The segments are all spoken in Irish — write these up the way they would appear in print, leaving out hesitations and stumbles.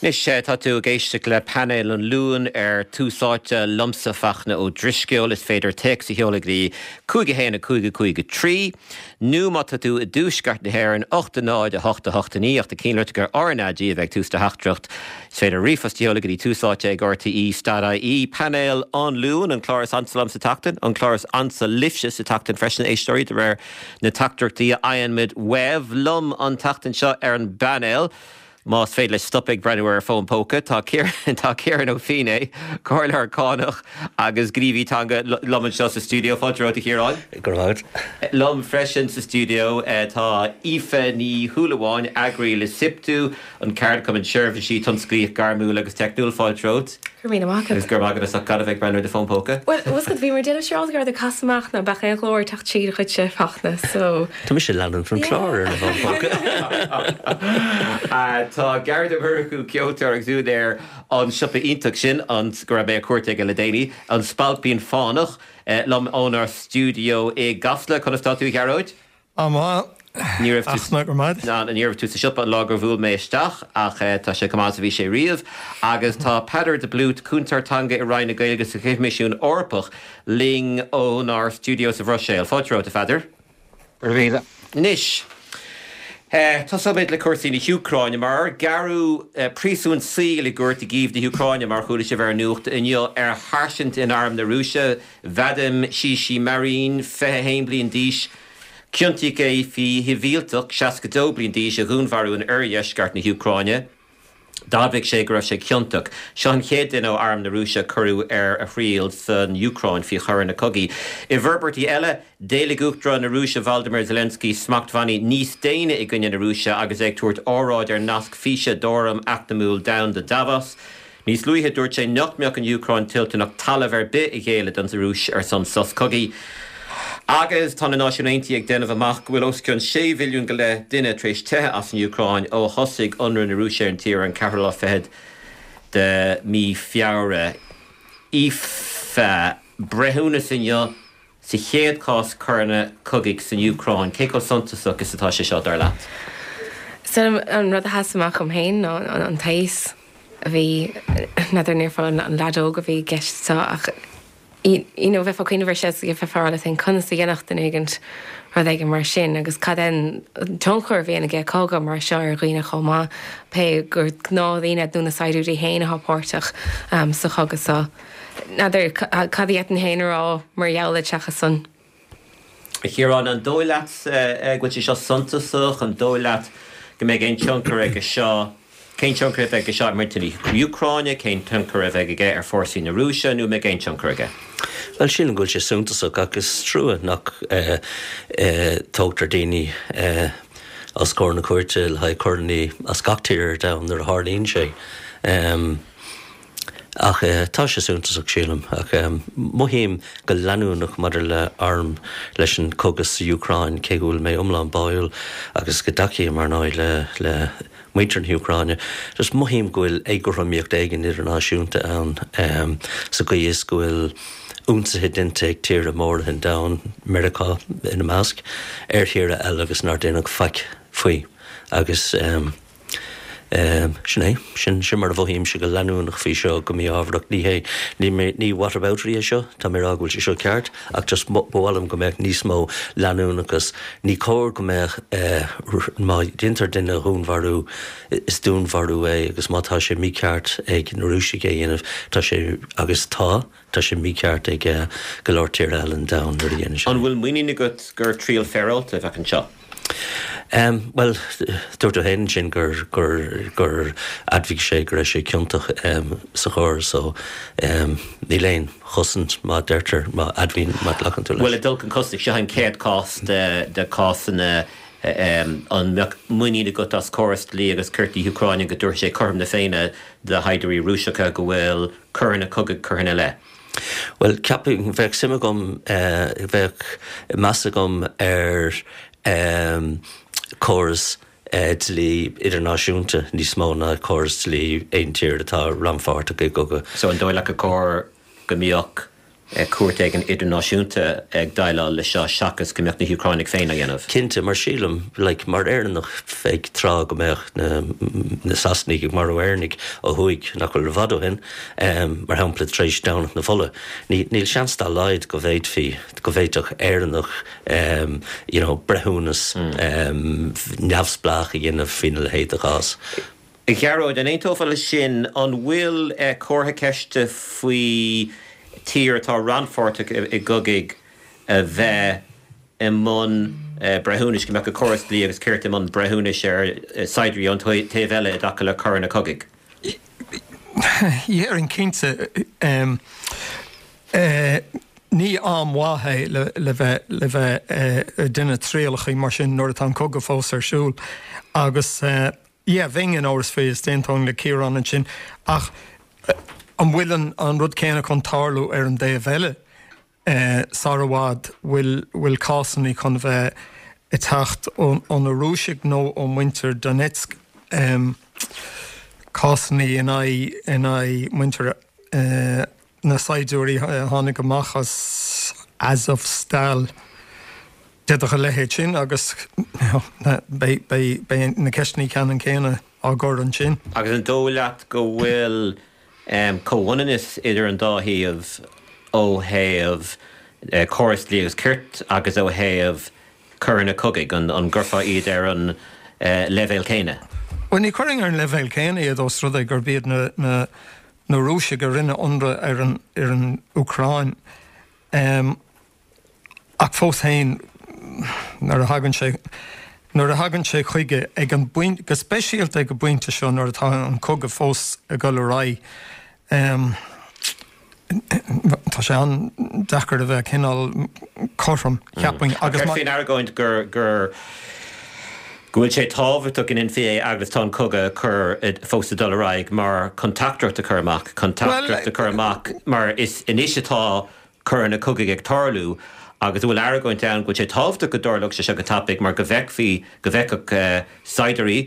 Anois, tá tú ag éisteacht le Painéal an Luain ar Tús Áite, liomsa Fachtna Ó Drisceoil. Is féidir téacs a sheoladh go dtí 5 1 5 5 3, nó má tá tú i dtuaisceart na hÉireann, 8 0 8 8 9, ach ná cinnte gur RnaG a bheidh ag tús do theachtaireacht. Is féidir ríomhphost a sheoladh go dtí Tús Áite ag RTÉ dot ie. Painéal an Luain, an clár is ansa liom sa tseachtain, an clár is ansa libhse sa tseachtain freisin, a éisteoirí, de réir na teachtaireachtaí a fhaigheann muid uaibh. Liom an tseachtain seo ar an bpainéal, Más féidir leis stop ag breathnú ar a fón póca, tá tá Ciarán Ó Feinneadha, comhairleoir cánach agus gníomhaí teanga liom anseo sa stiúideo. Fáilte romhat, a Chiaráin. Go raibh maith agat. Liom freisin sa stiúideo tá Aoife Ní Shúilleabháin, eagraí le SIPTU, an ceardchumann seirbhísí tionsclaíoch gairmiúil agus teicniúil. Fáilte romhat. Go raibh míle maith agat. Agus go raibh maith agat as ucht gan a bheith ag breathnú ar do fón póca. Bhuel, bhfuil a fhios agat, bhí mé ag déanamh siúráilte go raibh tú ag casadh amach ná beadh aon ghlór ag teacht tríd a chuidse Fachtna, so. Tá mise ag leanúint an clár ar an bhfón póca. Tá Gearóid Ó Murchú, ceoltóir agus úinéir an siopa iontach sin, an, go raibh mé ar cuairt aige le déanaí, An Spailpín Fánach, liom ónár stiúideo i gCasla. Conas tá tú, a Ghearóid? An-mhaith. Ní raibh tú Fachtna, go raibh maith. Ná, ní raibh tú sa siopa an lá gur bhuail mé isteach ach tá sé chomh maith is a bhí sé riamh. Agus tá Peadar de Blút, Cúntóir Teanga i Roinn na Gaeilge sa Choimisiún Eorpach, linn ónár stiúideo sa Bhruiséil. Fáilte romhat, a Pheadair. Go raibh míle. Anois, tosóimid le cúrsaí na hÚcráine, mar gearradh príosún saoil i gcúirt i gCív na hÚcráine, mar a chuala sibh ar an nuacht inniu, ar sháirsint in arm na Rúise, Vadim Shishimarin, 21 bliain d'aois. Ciontaíodh é faoi shibhialtach 62 bliain d'aois a dhúnmharú in oirdheisceart na hÚcráine. D'admhaigh sé go raibh sé ciontach. Seo an chéad duine ó arm na Rúise a cuireadh ar a thriail san Úcráin faoi choireanna cogaidh. I bhforbairtí eile, d'éiligh Uachtarán na Rúise Volodymyr Zelensky smachtbhannaí níos déine i gcoinne na Rúise agus é ag tabhairt óráid ar nasc físe d'Fhóram Eacnamúil Domhanda Davos. Níos luaithe, dúirt sé nach mbeadh an Úcráin toilteanach talamh ar bith a ghéilleadh don Rúis ar son sos cogaidh. Agus tá na Náisiúin Aontaithe ag déanamh amach go bhfuil os cionn sé mhilliún go leith duine tar éis teitheadh as an Úcráin ó thosaigh ionradh na Rúise ar an tír ar an ceathrú lá fichead de mhí Feabhra. Aoife, breithiúnas inniu Sa chéad chás coireanna cogaidh san Úcráin, cé chomh suntasach is atá sé seo, dar leat? So an rud a sheas amach dom féin ná an t-aos a bhí, n'fheadar an ndéarfá an leaid óg a bhí i gceist seo ach you know bheifeá ag cuimhneamh air seo is bheifeá ag rá leat féin conas a dhéanfadh duine éigint rud éigin mar sin agus cad é an tionchar a bhíonn aige cogadh mar seo ar dhaoine chomh maith, pé gur gnáthdhaoine nó na saighdiúirí féin atá páirteach sa chogadh seo. N'fheadar cad a d'fhéadfainn féin a rá mar gheall air seachas san. A Chiaráin, an dóigh leat go bhfuil sé seo suntasach? An dóigh leat go mbeidh aon tionchar aige seo? Cén tionchar a bheidh aige seo ar mhuintir na hÚcráine? Cén tionchar a bheidh aige ar fórsaí na Rúise? Nó an mbeidh aon tionchar aige? Bhuel, sílim go bhfuil sé suntasach ach is trua nach dtógtar daoine os comhair na cúirte le haghaidh coireanna as gach tír ar domhan nuair a tharlaíonn sé. Ach tá sé suntasach, sílim. Ach mothaím go leanúnach maidir le arm, leis an cogadh sa Úcráin, cé go bhfuil mé iomlán báúil agus go dtacaím, ar ndóigh, le le muintir na hÚcráine, just mothaím go bhfuil éagothromaíocht éigin idirnáisiúnta ann sa gcaoi is go bhfuil ionsaithe déanta ag tíortha móra an domhain, Meiriceá ina measc, ar thíortha eile agus nár déanadh faic faoi. Agus. Sin é. Sin, sin mar a mhothaímse go leanúnach faoi seo, go mí-ámharach. Ní hé, ní, ní whataboutery é seo, tá mé ag rá go bhfuil sé seo ceart, ach just ba mhaith liom go mbeadh níos mó leanúnachas. Ní cóir go mbeadh, má dhéantar duine a dhúnmharú, is dúnmharú é agus má tá sé mícheart ag na Rúisigh é a dhéanamh, tá sé, agus tá, tá sé mícheart ag go leor tíortha eile an domhain nuair a dhéanann sé. An bhfuil muinín agat gur triail féaráilte a bheadh anseo? Bhuel, dúirt tú féin ansin gur, gur, gur admhaigh sé go raibh sé ciontach sa choir so níl aon chosaint má deirtear, má admhaíonn, má ghlacann tú leis. Bhuel, ag dul chun cosaint, seo an chéad chás de, de cásanna an mbeadh muinín agat as córas dlí agus cirt na hÚcráine go dtabharfaidh sé cothrom na Féinne do shaighdiúirí Rúiseacha go bhfuil coireanna cogaidh curtha ina leith? Bhuel, ceapaim, bheadh suim agam, bheadh meas agam ar chóras dlí idirnáisiúnta níos mó ná córas dlí aon tír atá rannpháirteach i gcogadh. So an dóigh leat gur cóir go mbeadh. cúirt éigin idirnáisiúnta ag déileáil leis seo seachas go mbeadh na hÚcránaigh féin á dhéanamh. Cinnte, mar sílim, like, mar Éireannach ag tráth go mbeadh na na Sasanaigh ag marú Éireannaigh ó thuaidh, nach bhfuil i bhfad ó shin, mar shampla tar éis Domhnach na Fola, ní, níl seans dá laghad go bhféadfaí, go bhféadfadh Éireannach, you know, breithiúnas neamhspleách a dhéanamh faoina leithéid de chás. A Ghearóid, an aontófá leis sin? An bhfuil comhartha ceiste faoi tír atá rannpháirteach i gcogaidh a bheith i mbun breithiúnais, go mbeadh a córas dlí agus cirt i mbun breithiúnais ar saighdiúirí ón taobh eile i dtaca le coireanna cogaidh? Dhéarfainn cinnte. Ní am mhaith é le bheith le bheith ag déanamh trialachaí mar sin nuair atá an cogadh fós ar siúl agus yeah bheinn in amhras faoi is d'aontóinn le Ciarán ansin ach an bhfuil an rud céanna chun tarlú ar an dtaobh eile sar i bhfad? Bhfuil bhfuil cásannaí chun bheith ag teacht ó na Rúisigh nó ó muintir Donetsk cásannaí in aghaidh in aghaidh muintir na saighdiúirí a tháinig amach as Azovstal. D'fhéadfadh a leithéid sin agus beidh na ceisteanna ceannann céanna á gcur ansin. Agus an dóigh leat go bhfuil comhionannas idir an dá thaobh ó thaobh córas dlí agus cirt agus ó thaobh coireanna cogaidh? An gcuirfeá iad ar an leibhéal céanna? Bhuel, ní chuirfinn ar an leibhéal céanna iad ós rud é gurb iad na Rúisigh a rinne ionradh ar an Úcráin. Ach fós féin, nuair a thagann sé, nuair a thagann sé chuige ag an bpointe, go speisialta ag an bpointe seo nuair atá an cogadh fós ag dul ar aghaidh, tá sé an-deacair a bheith cineál cothrom, cheapfainn. Agus má. Faoin argóint gur, gur, go bhfuil sé tábhachtach go ndéanfaí é agus tá an cogadh ag cur, fós ag dul ar aghaidh mar chun teachtaireacht a chur amach, chun teachtaireacht a chur amach mar is anois atá coireanna cogaidh ag tarlú agus an bhfuil argóint ann go bhfuil sé tábhachtach go dtarlódh sé seo go tapaidh mar go bhfeicfí, go bhfeicfeadh saighdiúirí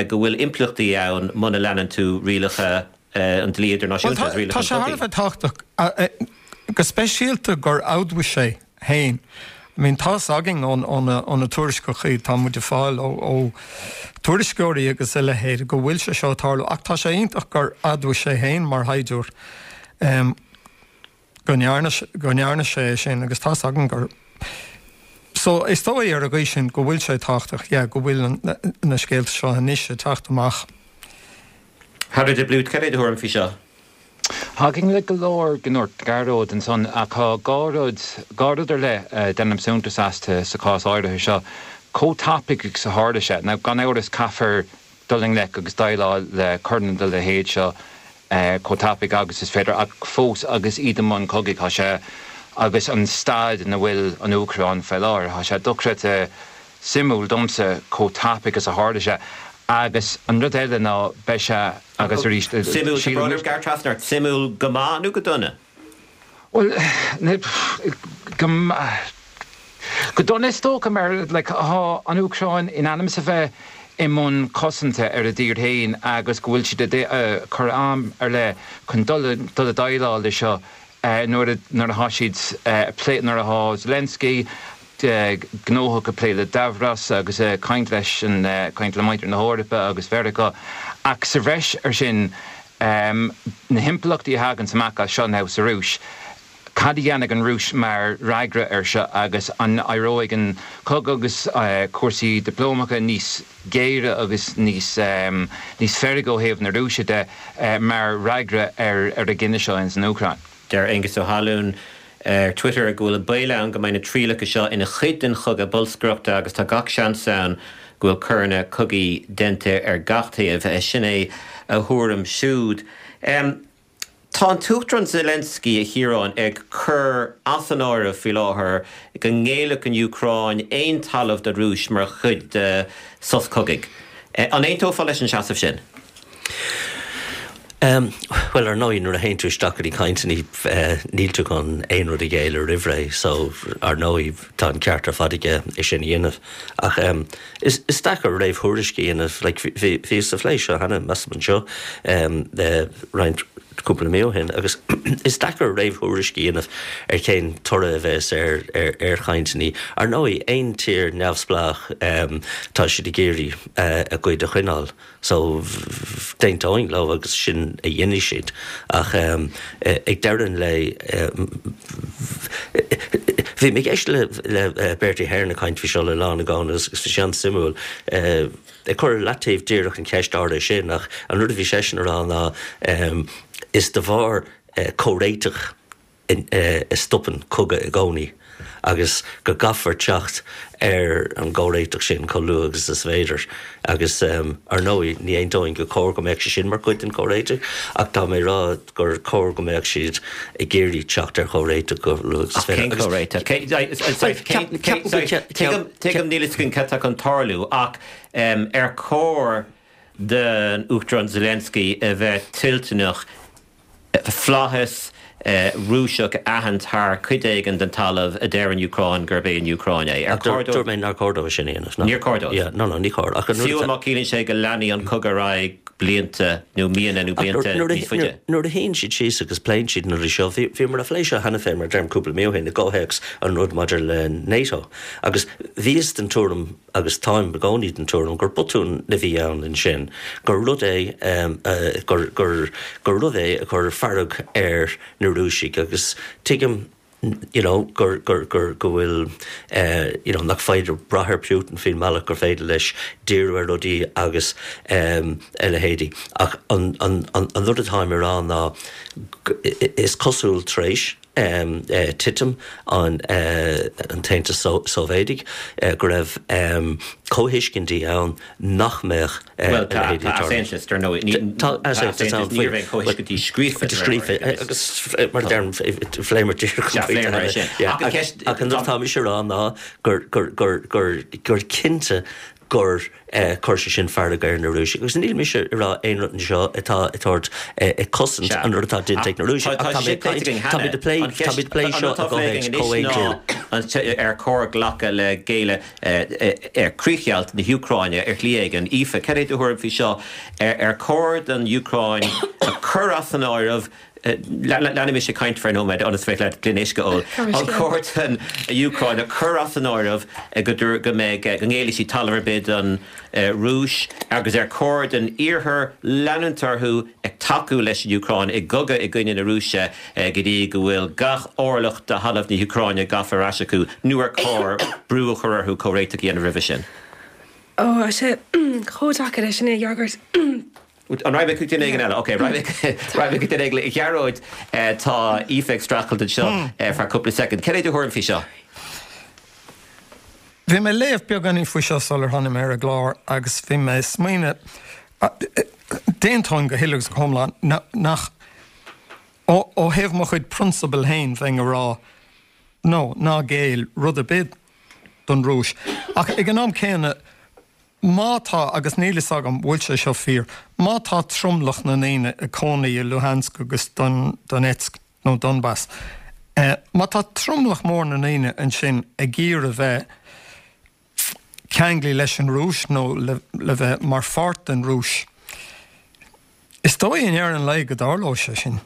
go bhfuil impleachtaí ann muna leanann tú rialacha an dlí idirnáisiúnta agus rialacha an chogaidh. Tá sé thar a bheith tábhachtach, go speisialta gur admhaigh sé féin. I mean tá's againn ó na tuairisceachaí atá muid ag fáil ó tuairisceoirí agus a leithéid go bhfuil sé seo ag tarlú ach tá sé iontach gur admhaigh sé féin mar shaighdiúir. go ndearna, go ndearna sé é sin agus tá's againn gur, so is dóigh ar an gcaoi sin go bhfuil sé tábhachtach, yeah, go bhfuil an, na scéalta seo anois ag teacht amach. Peadar de Blúit, cad é do thuairim faoi seo? Thagainn le go leor go ndúirt Gearóid ansan ach tá dhá rud, dhá rud ar leith a ndéanaim suntas astu sa chás áirithe seo. Chomh tapaidh agus a tharla sé. Now gan amhras caithfear dul i ngleic agus déileáil le coireanna den leithéid seo chomh tapaidh agus is féidir, ach fós agus iad i mbun cogaidh, tá sé, agus an staid ina bhfuil an Úcráin faoi láthair, tá sé dochreidte suimiúil domsa chomh tapaidh is a tharla sé. Agus an rud eile ná beidh sé, agus arís, Suimiúil, tá brón orm gearradh trasna ort, suimiúil go maith nó go dona? Bhuel, go go dona is dócha mar like tá an Úcráin in ainm is a bheith i mbun cosanta ar a dtír féin agus go bhfuil siad ag cur am ar leith chun dul dul ag déileáil le seo nuair a nuair atá siad ag plé nuair atá Zelensky gnóthach ag plé le Davos agus ag caint leis an caint le muintir na hEorpa agus Mheiriceá ach sa bhreis ar sin Na himpleachtaí a thaganns amach as seo now sa Rúis, cad a dhéanfaidh an Rúis mar fhreagra air seo agus an éireoidh an cogadh agus cúrsaí dioplómacha níos géire agus níos níos feirge ó thaobh na Rúise de mar fhreagra ar ar an gcinneadh seo ins an Úcráin? Deir Aengus Ó hAlúin ar Twitter go bhfuil an baol ann go mbeidh na trialacha seo ina chuid den chogadh bolscaireachta agus tá gach seans ann go bhfuil coireanna cogaidh déanta ar gach taobh. Sin é a thuairim siúd. Tá an tUachtarán Zelensky, a Chiaráin, ag cur as an áireamh faoi láthair go ngéillfeadh an Úcráin aon talamh don Rúis mar chuid de sos cogaidh. An aontófá leis an seasamh sin? Bhuel, ar ndóigh, nuair a théann tú isteach go dtí cainteanna, níl tú chun aon rud a ghéilleadh roimh ré, so ar ndóigh, tá an ceart ar fad aige é sin a dhéanamh. Ach is deacair réamhthuairisc a dhéanamh. Like, bhíos sa phlé seo cheana, measaim anseo, roinnt. cúpla mí ó shin agus is deacair réamhthuairisc a dhéanamh ar cén toradh a bheas ar ar chainteanna. Ar ndóigh, aon tír neamhspleách tá siad ag iarraidh a gcuid a choinneáil so d'aontóinn leo agus sin a dhéanfaidh siad ach ag deireadh an lae bhí mé ag éisteacht le Bertie Ahern ag caint faoi seo le Lá na gCon agus bhí sé an-suimiúil. Ag cur ar leataobh díreach an cheist áirithe sin, ach an rud a bhí seisean a rá ná is de bharr comhréiteach a stopann cogadh i gcónaí agus go gcaithfear teacht ar an gcomhréiteach sin chomh luath agus is féidir. Agus ar ndóigh ní aontóinn gur chóir go mbeadh sé sin mar chuid den chomhréiteach ach tá mé ag rá gur chóir go mbeadh siad ag iarraidh teacht ar chomhréiteach chomh luath agus is féidir. Ach cén comhréiteach? Tuigim, níl fhios againn cad tá chun tarlú, ach ar chóir don Uachtarán Zelensky a bheith toilteanach flaitheas Rúiseach a aithint thar chuid éigin den talamh a deir an Úcráin gurb é an Úcráin é? Ar chóir dó? Dúirt mé nár chóir dó sin a dhéanamh. Níor chóir dó. No, no, ní chóir. Fiú má chiallaíonn sé go leanfaidh an cogadh ar aghaidh blianta nó míonna nó blianta níos faide. Nuair a shuíonn siad síos agus pléann siad na rudaí seo, bhíomar a phlé seo cheana féin mar a deirim cúpla mí ó shin i gcomhthéacs an rud maidir le NATO agus bhíos den tuairim agus táim i gcónaí den tuairim gur botún a bhí ann ansin, gur rud é gur gur gur rud é a chuir fearg ar na Rúisigh agus tuigim you know, gur, gur, gur, go bhfuil eh, you know, nach féidir brath ar Putin faoin mbealach gur féidir leis díriú ar rudaí agus em, a leithéidí. Ach an, an, an, an rud atáim a rá ná is cosúil tar éis em, eh, titim an, eh, an tAontais Sóivéadaigh eh, go raibh em, comhthuiscintí ann nach mbeadh Bhuel, tá easaontas, dar ndóigh. Tá easaontas ann faoi. Ní raibh aon chomhthuiscintí scríofa. Scríofa, agus mar a deirim, phléamar díreach an pointe cheana. Sea, phléamar é sin. Ach an rud atá mise a rá ná gur cinnte gur chuir sé sin fearg ar na Rúisigh. Agus níl mise ag rá aon rud anseo atá ag tabhairt ag cosaint an rud atá déanta ag na Rúisigh. Ach tá mé ag caint, táimid ag plé, táimid ag plé seo i gcomhthéacs comhaontú. Ar chóir glacadh le géilleadh ar chríochdheighilt na hÚcráine ar shlí éigin. Aoife, cad é do thuairim faoi seo? Ar chóir don Úcráin a chur as an áireamh, leanfaidh mise ag caint ar feadh nóiméad ionas féidir leat gloine uisce a ól, an chóir don Úcráin a chur as an áireamh go go mbeidh, go ngéillfidh sí talamh ar bith don Rúis agus ar chóir don Iarthar leanúint orthu ag tacú leis an Úcráin i gcogadh i gcoinne na Rúise go dtí go bhfuil gach orlach de thalamh na hÚcráine gafa ar ais acu, nó ar chóir brú a chur orthu comhréiteach a dhéanamh roimhe sin? Ó, tá sé chomh deacair é sin a fhreagairt. An raghaidh mé chuig duine éigin eile? Ok, raghaidh mé chuig duine éigin eile. A Ghearóid, tá Aoife ag streachailt anseo ar feadh cúpla soicind. Cad é do thuairim faoi seo? Bhí mé ag léamh beagáinín faoi seo sular tháinig mé ar an gclár agus bhí mé ag smaoineamh, d'aontóinn go huile agus go hiomlán nach, ó thaobh mo chuid prionsabal féin, bheinn ag rá no, ná géill rud ar bith don Rúis. Ach ag an am céanna, má tá, agus níl fhios agam bhfuil sé seo fíor, má tá tromlach na ndaoine ag cónaí i Luhansk agus Donetsk, nó Donbas. Má tá tromlach mór na ndaoine ansin ag iarraidh bheith ceanglaithe leis an Rúis nó le bheith mar pháirt den Rúis, is dóigh i ndeireadh an lae go dtarlóidh sé sin.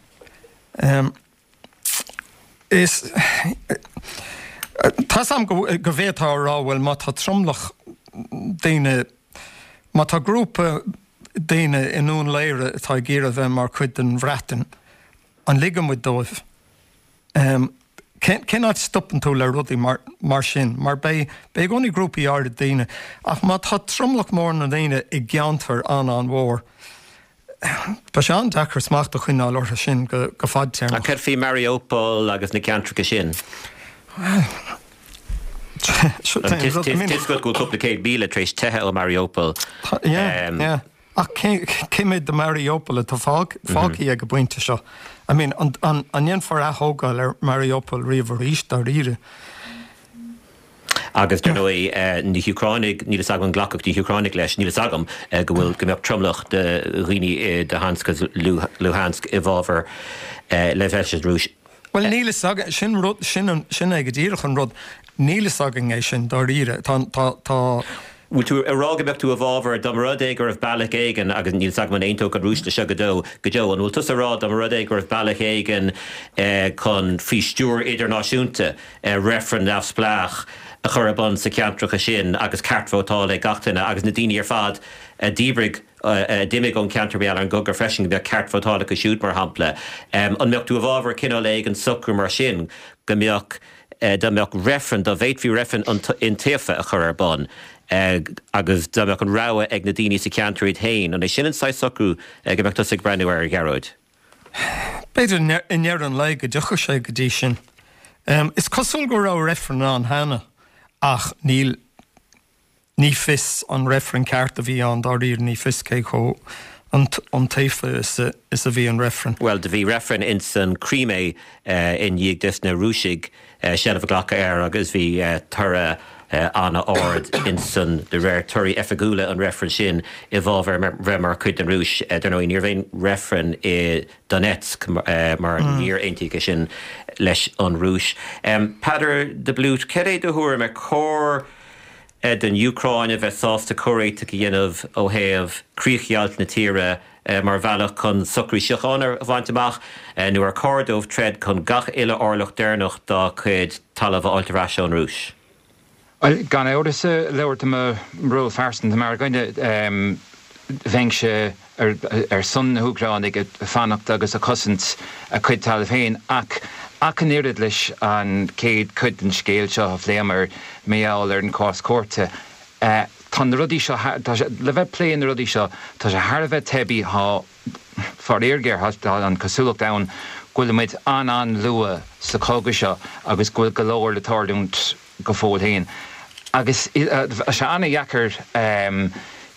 Is tá 's a'm go bhféadfá a rá bhuel má tá tromlach daoine, má tá grúpa daoine i nDún Laoghaire atá ag iarraidh bheith mar chuid den Bhreatain, An ligfidh muid dóibh? Cén áit a stopann tú le rudaí mar sin? Mar beidh i gcónaí grúpaí áirid daoine, ach má tá tromlach mór na ndaoine i gceantar an-an-mhór, beidh sé an-deacair smacht a choinneáil orthu sin go fadtéarmach. Ach céard faoi Mariupol agus na ceantracha sin? Bhuel, tá is go bhfuil cúpla 100,000 tar éis teitheadh ó Mariupol. Yeah, yeah. Ach cé mhéad de Mariupol atá fágtha ag an bpointe seo? I mean, an ndéanfar athógáil ar Mariupol riamh arís, dáiríre? Agus dar ndóigh, na hÚcránaigh, níl fhios agam an nglacfadh na hÚcránaigh leis, níl fhios agam go bhfuil, go mbeadh tromlach de dhaoine i Donetsk agus Luhansk i bhfabhar le bheith leis an Rúis. Bhuel, níl fhios againn, sin rud, sin an, sin é go díreach an rud, níl fhios againn é sin, dáiríre. Tá, tá, tá. Bhfuil tú ag rá go mbeadh tú i bhfabhar dá mba rud é go raibh bealach éigin, agus níl 's agam an aontódh an Rúis leis seo go deo, go deo, an bhfuil tusa ag rá dá mba rud é go raibh bealach éigin chun, faoi stiúir idirnáisiúnta, reifreann neamhspleách a chur ar bun sa cheantracha sin agus ceart vótála ag gach duine agus na daoine ar fad a dhíbrigh, a d'imigh ón cheantar mar gheall ar an gcogadh freisin, go mbeadh ceart vótála acu siúd mar shampla. An mbeadh tú i bhfabhar cineál éigin socrú mar sin go mbeadh, dá mbeadh reifreann, dá bhféadfaí reifreann iontaofa a chur ar bun agus dá mbeadh an rogha ag na daoine sa cheantar iad féin, an é sin an saghas socrú go mbeadh tusa ag breathnú air, a Ghearóid? B'fhéidir i ndeireadh an lae go dtiocfadh sé go dtí sin. Is cosúil go raibh reifreann ann cheana ach níl Ní fios an reifreann ceart a bhí ann dáiríre, ní fios cé chomh iontaofa is a bhí an reifreann. Bhuel, do bhí reifreann ins an Crimea i ndiaidh dos na Rúisigh seilbh a ghlacadh air agus bhí toradh an-ard insan, de réir torthaí oifigiúla an reifrinn sin, i bhfabhar bheith mar chuid den Rúis. Dar ndóigh, ní raibh aon reifreann i Donetsk mar níor aontaíodh é sin leis an Rúis. Peadar de Blúit, cad é do thuairim, ar chóir don Úcráin a bheith sásta comhréiteach a dhéanamh ó thaobh críochdheighilt na tíre mar bhealach chun socrú síochána a bhaint amach, nó ar chóir dóibh troid chun gach uile orlach deireanach dá gcuid talaimh a fháilt ar ais ón Rúis? Bhuel, gan amhras, ag labhairt i mo ról phearsanta mar dhuine, bheinnse ar son na hÚcránaigh ag fanacht agus ag cosaint a cuid talaimh féin ach ach an oiread leis an chéad chuid den scéal seo a phléamar mar gheall ar an chás cúirte, tá na rudaí seo, tá sé, le bheith ag plé na rudaí seo, tá sé thar a bheith teibí, tá, faraor géar, tá an chosúlacht ann go bhfuil muid an-an-luath sa chogadh seo agus go bhfuil go leor le tarlúint. go fóill féin. Agus tá sé an-dheacair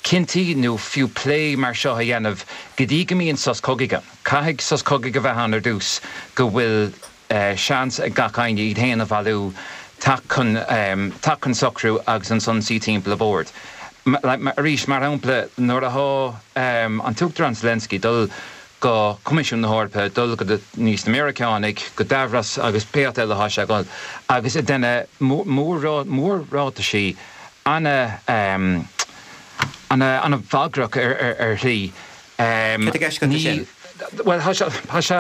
cinntí nó fiú plé mar seo a dhéanamh go dtí go mbíonn sos cogaidh ann. Caithfidh sos cogaidh a bheith ann ar dtús go bhfuil seans ag gach éinne iad féin a bhailiú, teacht chun teacht chun socrú agus ansan suí timpeall an bhoird. Arís, mar shampla, nuair atá an tUachtarán Zelensky ag dul go Coimisiún na hEorpa, dul go dtí na Meiriceánaigh, go Davos agus pé áit eile atá sé ag dul, agus ag déanamh mór-ráitisí ana-bhagrach ar shlí. Cad i gceist agat leis sin? Bhuel, tá sé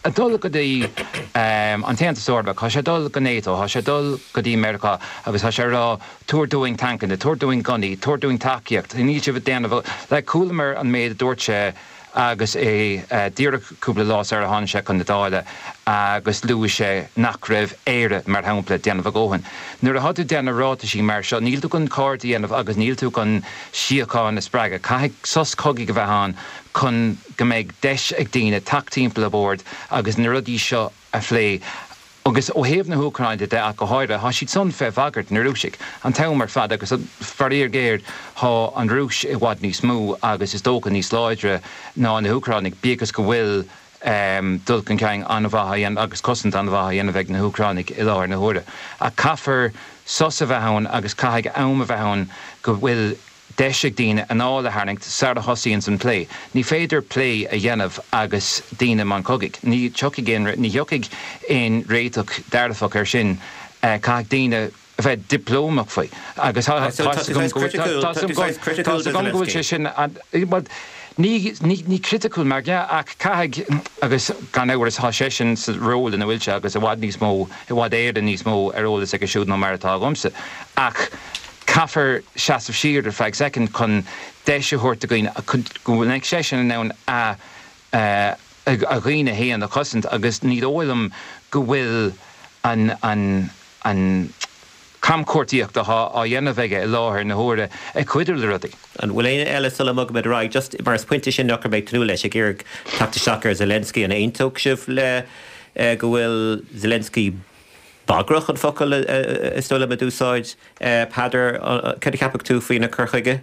ag dul go dtí an tAontas Eorpach, tá sé ag dul go NATO, tá sé ag dul go dtí Meiriceá agus tá sé ag rá, tabhair dúinn tancanna, tabhair dúinn gunnaí, tabhair dúinn tacaíocht, níl sibh ag déanamh, like, chualamar an méid a dúirt sé agus é díreach cúpla lá sar a tháinig sé chun na Dála agus luaigh sé nach raibh Éire, mar shampla, ag déanamh a dhóthain. Nuair atá tú ag déanamh ráitisí mar seo, níl tú chun cairde a dhéanamh agus níl tú chun síocháin a spreagadh. Caithfidh sos cogaidh a bheith ann chun go mbeidh deis ag daoine teacht timpeall an bhoird agus na rudaí seo a phlé. Agus ó thaobh na hÚcráine de ach go háirithe, tá siad san fé bhagairt na Rúisigh an t-am ar fad agus faraor géar tá an Rúis i bhfad níos mó agus is dócha níos láidre ná na hÚcránaigh, bíodh is go bhfuil dul chun cinn an-mhaith á dhéanamh agus cosaint an-mhaith á dhéanamh ag na hÚcránaigh i láthair na huaire. Ach caithfear sos a bheith ann agus caithfidh am a bheith ann go bhfuil deis ag daoine anáil a tharraingt sara thosaíonns an plé. Ní féidir plé a dhéanamh agus daoine i mbun cogaidh. Ní thiocfaidh aon, ní thiocfaidh aon réiteach dearfach air sin. Caithfidh daoine a bheith dioplómach faoi. Agus tá a fhios agam go bhfuil, tá a fhios agam go bhfuil sé sin, bhuel, ní, ní, ní criticiúil mar dhea ach caithfidh, agus gan amhras tá seisean sa ról ina bhfuil sé agus i bhfad níos mó, i bhfad Éireann níos mó ar eolas aige siúd ná mar atá agamsa. Ach. Caithfear seasamh siar ar feadh soicind chun deis a thabhairt do dhaoine go mbeidh seisean in ann a a dhaoine féin a chosaint agus ní dóigh liom go bhfuil an an an camchuartaíocht atá á dhéanamh aige i láthair na huaire ag cuidiú le rudaí. An bhfuil éinne eile sula mbogaimid ar aghaidh, just mar is pointe sin nach raibh mé ag tnúth leis, ag iarraidh teacht isteach ar Zelensky, an aontódh sibh le go bhfuil Zelensky Bagrach an focal is dóigh liom a d'úsáid Peadar. Cad a cheapfadh tú faoina cur chuige?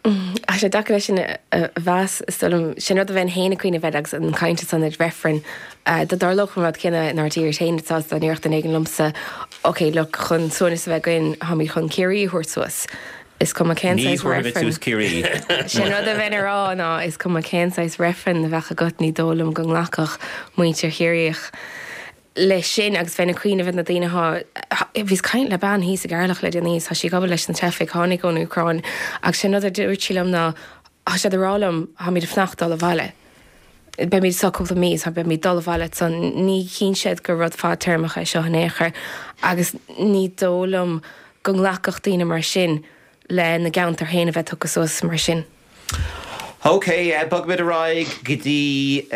Tá sé deacair é sin a mheas, is dóigh liom. Sin rud a bheinn féin ag cuimhneamh air agus an chaint ansan ar reifreann. Dá dtarlódh an rud céanna inár dtír féin, dá ndéarfadh duine éigin liomsa, ok, look, chun suaimhneas a bheith againn, táimid chun Ciarraí a thabhairt suas. Is cuma cén saghas reifreann. Ní thabharfaimid suas Ciarraí. Sin rud a bheinn a rá ná is cuma cén saghas reifreann a bheadh agat, ní dóigh liom go nglacfadh muintir Chiarraí. Leis sin agus bheinn ag cuimhneamh ar na daoine atá, bhíos ag caint le bean thíos i gCeatharlach le déanaí is tá sí ag obair leis na teifigh, tháinig ón Úcráin agus sé an rud a dúirt sí liom ná tá siad ag rá liom táimid ag fanacht dul abhaile. Beimid anseo cúpla mí is beimid dul abhaile ansan. Ní chíonn siad gur rud fadtéarmach é seo in aon chor agus ní dóigh liom go nglacfadh daoine mar sin lena gceantar féin a bheith tugtha suas mar sin. Ok, bogfaimid ar aghaidh go dtí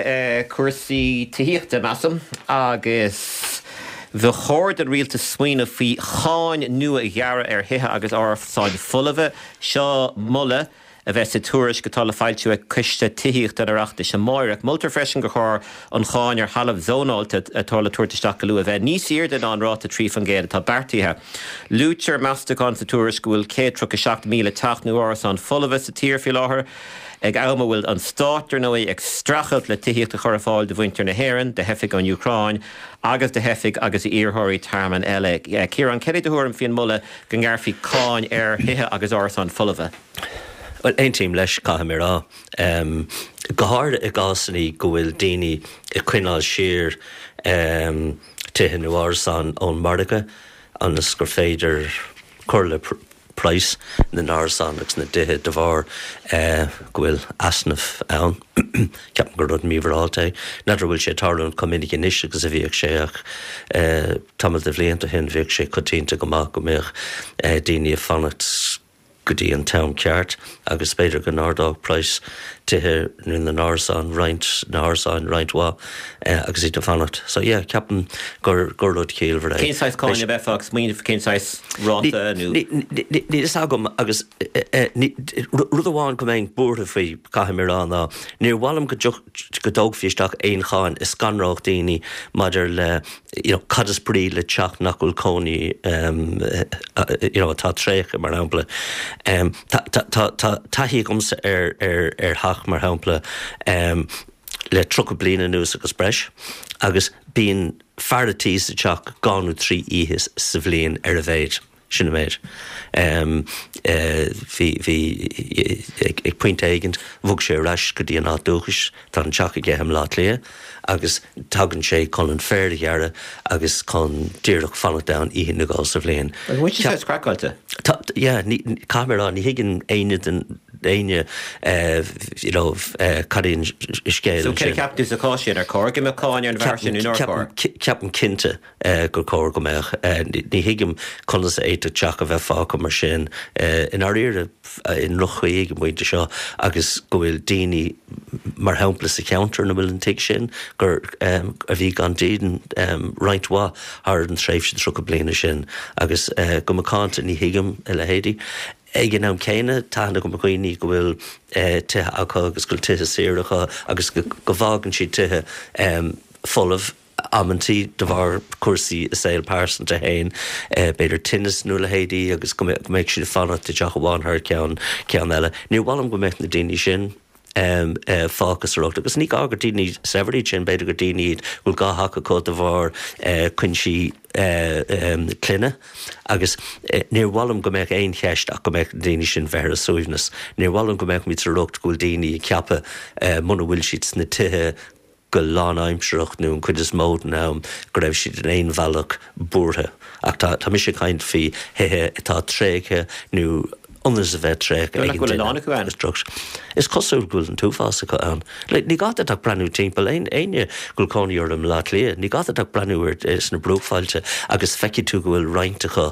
cúrsaí tithíochta, measaim, agus ba chóir don rialtas smaoineamh faoi cháin nua a ghearradh ar thithe agus árasáin folmha. Seo moladh a bheas sa tuairisc atá le foilsiú ag Coiste Tithíochta an Oireachtais amáireach. Moltar freisin gur chóir an cháin ar thalamh zónáilte atá le tabhairt isteach go luath a bheith níos airde ná an ráta 3% atá beartaithe. Luaitear meastachán sa tuairisc go bhfuil 137,000 teach nó árasán folmha sa tír faoi láthair, ag am a bhfuil an stát, ar ndóigh, ag streachailt le tithíocht a chur ar fáil do mhuintir na hÉireann, do theifigh ón Úcráin agus do theifigh agus d'iarrthóirí tearmainn eile. Ciarán, céard é do thuairim faoin moladh go ngearrfaí cáin ar thithe agus árasáin folmha? Bhuel, aontaím leis, caithfidh mé a rá. Go háirithe i gcásanna go bhfuil daoine ag coinneáil siar tithe nó árasáin ón margadh ionas gur féidir cur le praghas na n-árasán agus na dtithe de bharr go bhfuil easnamh ann. Ceapaim gur rud mímhorálta é. N'fheadar an bhfuil sé ag tarlúint chomh minic anois agus a bhíodh sé ach tamall de bhlianta ó shin bhíodh sé coitianta go maith go mbeadh daoine ag fanacht go dtí an t-am ceart agus b'fhéidir go n-ardódh praghas tithe nó na n-árasán roinnt, na hárasáin roinnt mhaith agus iad ag fanacht. So yeah, ceapaim gur gur rud ciallmhar é. Cén saghas cáin a bheifeá ag smaoineamh, cén saghas ráta nó? Níl fhios agam agus rud amháin go mbeinn buartha faoi, caithfidh mé a rá, ná níor mhaith liom go go dtógfaí isteach aon cháin a scanródh daoine maidir le you know cad is brí le teach nach bhfuil cónaí you know atá tréigthe mar shampla. Tá tá tá taithí agamsa ar ar ar theach mar shampla le 30 bliain anuas agus breis agus bíonn fear a' tí sa teach dhá nó trí oíche sa bhliain ar a mhéad. Sin an méid. Bhí, bhí, ag pointe éigint, bhog sé ar ais go dtí an áit dúchais, tá an teach aige i mBleá Cliath, agus tagann sé chun an féar a ghearradh agus chun díreach fanacht ann oíche nó dhó sa bhliain. An bhfuil sé saghas craiceáilte? Tá, yeah, ní, caithfidh mé a rá, ní thuigeann éinne den, éinne, you know, cad é an scéal So céard a cheapann tú sa chás sin, ar chóir go mbeadh cáin ar an bhfear sin nó nár chóir? Ceapaim cinnte. gur chóir go mbeadh. Ní thuigim conas a fhéadfadh teach a bheith fágtha mar sin, i ndáiríre, i ndroch-chaoi ag an bpointe seo agus go bhfuil daoine, mar shampla sa cheantar ina bhfuil an tigh sin, gur, a bhí gan dídean roinnt mhaith thar an tréimhse 30 bliana sin agus go macánta ní thuigim a leithéidí. Ag an am céanna, tá aithne agam ar dhaoine go bhfuil tithe acu agus go bhfuil tithe saora acu agus go bhfágann siad tithe folamh. amantaí de bharr cúrsaí a saol pearsanta féin, b'fhéidir tinneas nó a leithéidí agus go mbeadh siad ag fanacht i dteach amháin thar ceann ceann eile. Níor mhaith liom go mbeadh na daoine sin fágtha sa riocht agus ní gá gur daoine saibhir iad sin, b'fhéidir gur daoine iad go bhfuil dhá theach acu de bharr cuinsí clainne agus níor mhaith liom go mbeadh aon cheist ach go mbeadh na daoine sin bheith ar a suaimhneas. Níor mhaith liom go mbeadh muid sa riocht go bhfuil daoine ag ceapadh muna bhfuil siad sna tithe go lánaimsearach nó an chuid is mó den am go raibh siad in aon bhealach buartha. Ach tá tá mise ag caint faoi thithe atá tréigthe nó ionas a bheith tréigthe ag an duine. a lán acu ann. Is cosúil go bhfuil an t-uafás acu ann. Like, ní gá duit ach breathnú timpeall, aon éinne go bhfuil cónaí orthu i mBleá Cliath, ní gá duit ach breathnú ar sna bruachbhailte agus feicfidh tú go bhfuil roinnt acu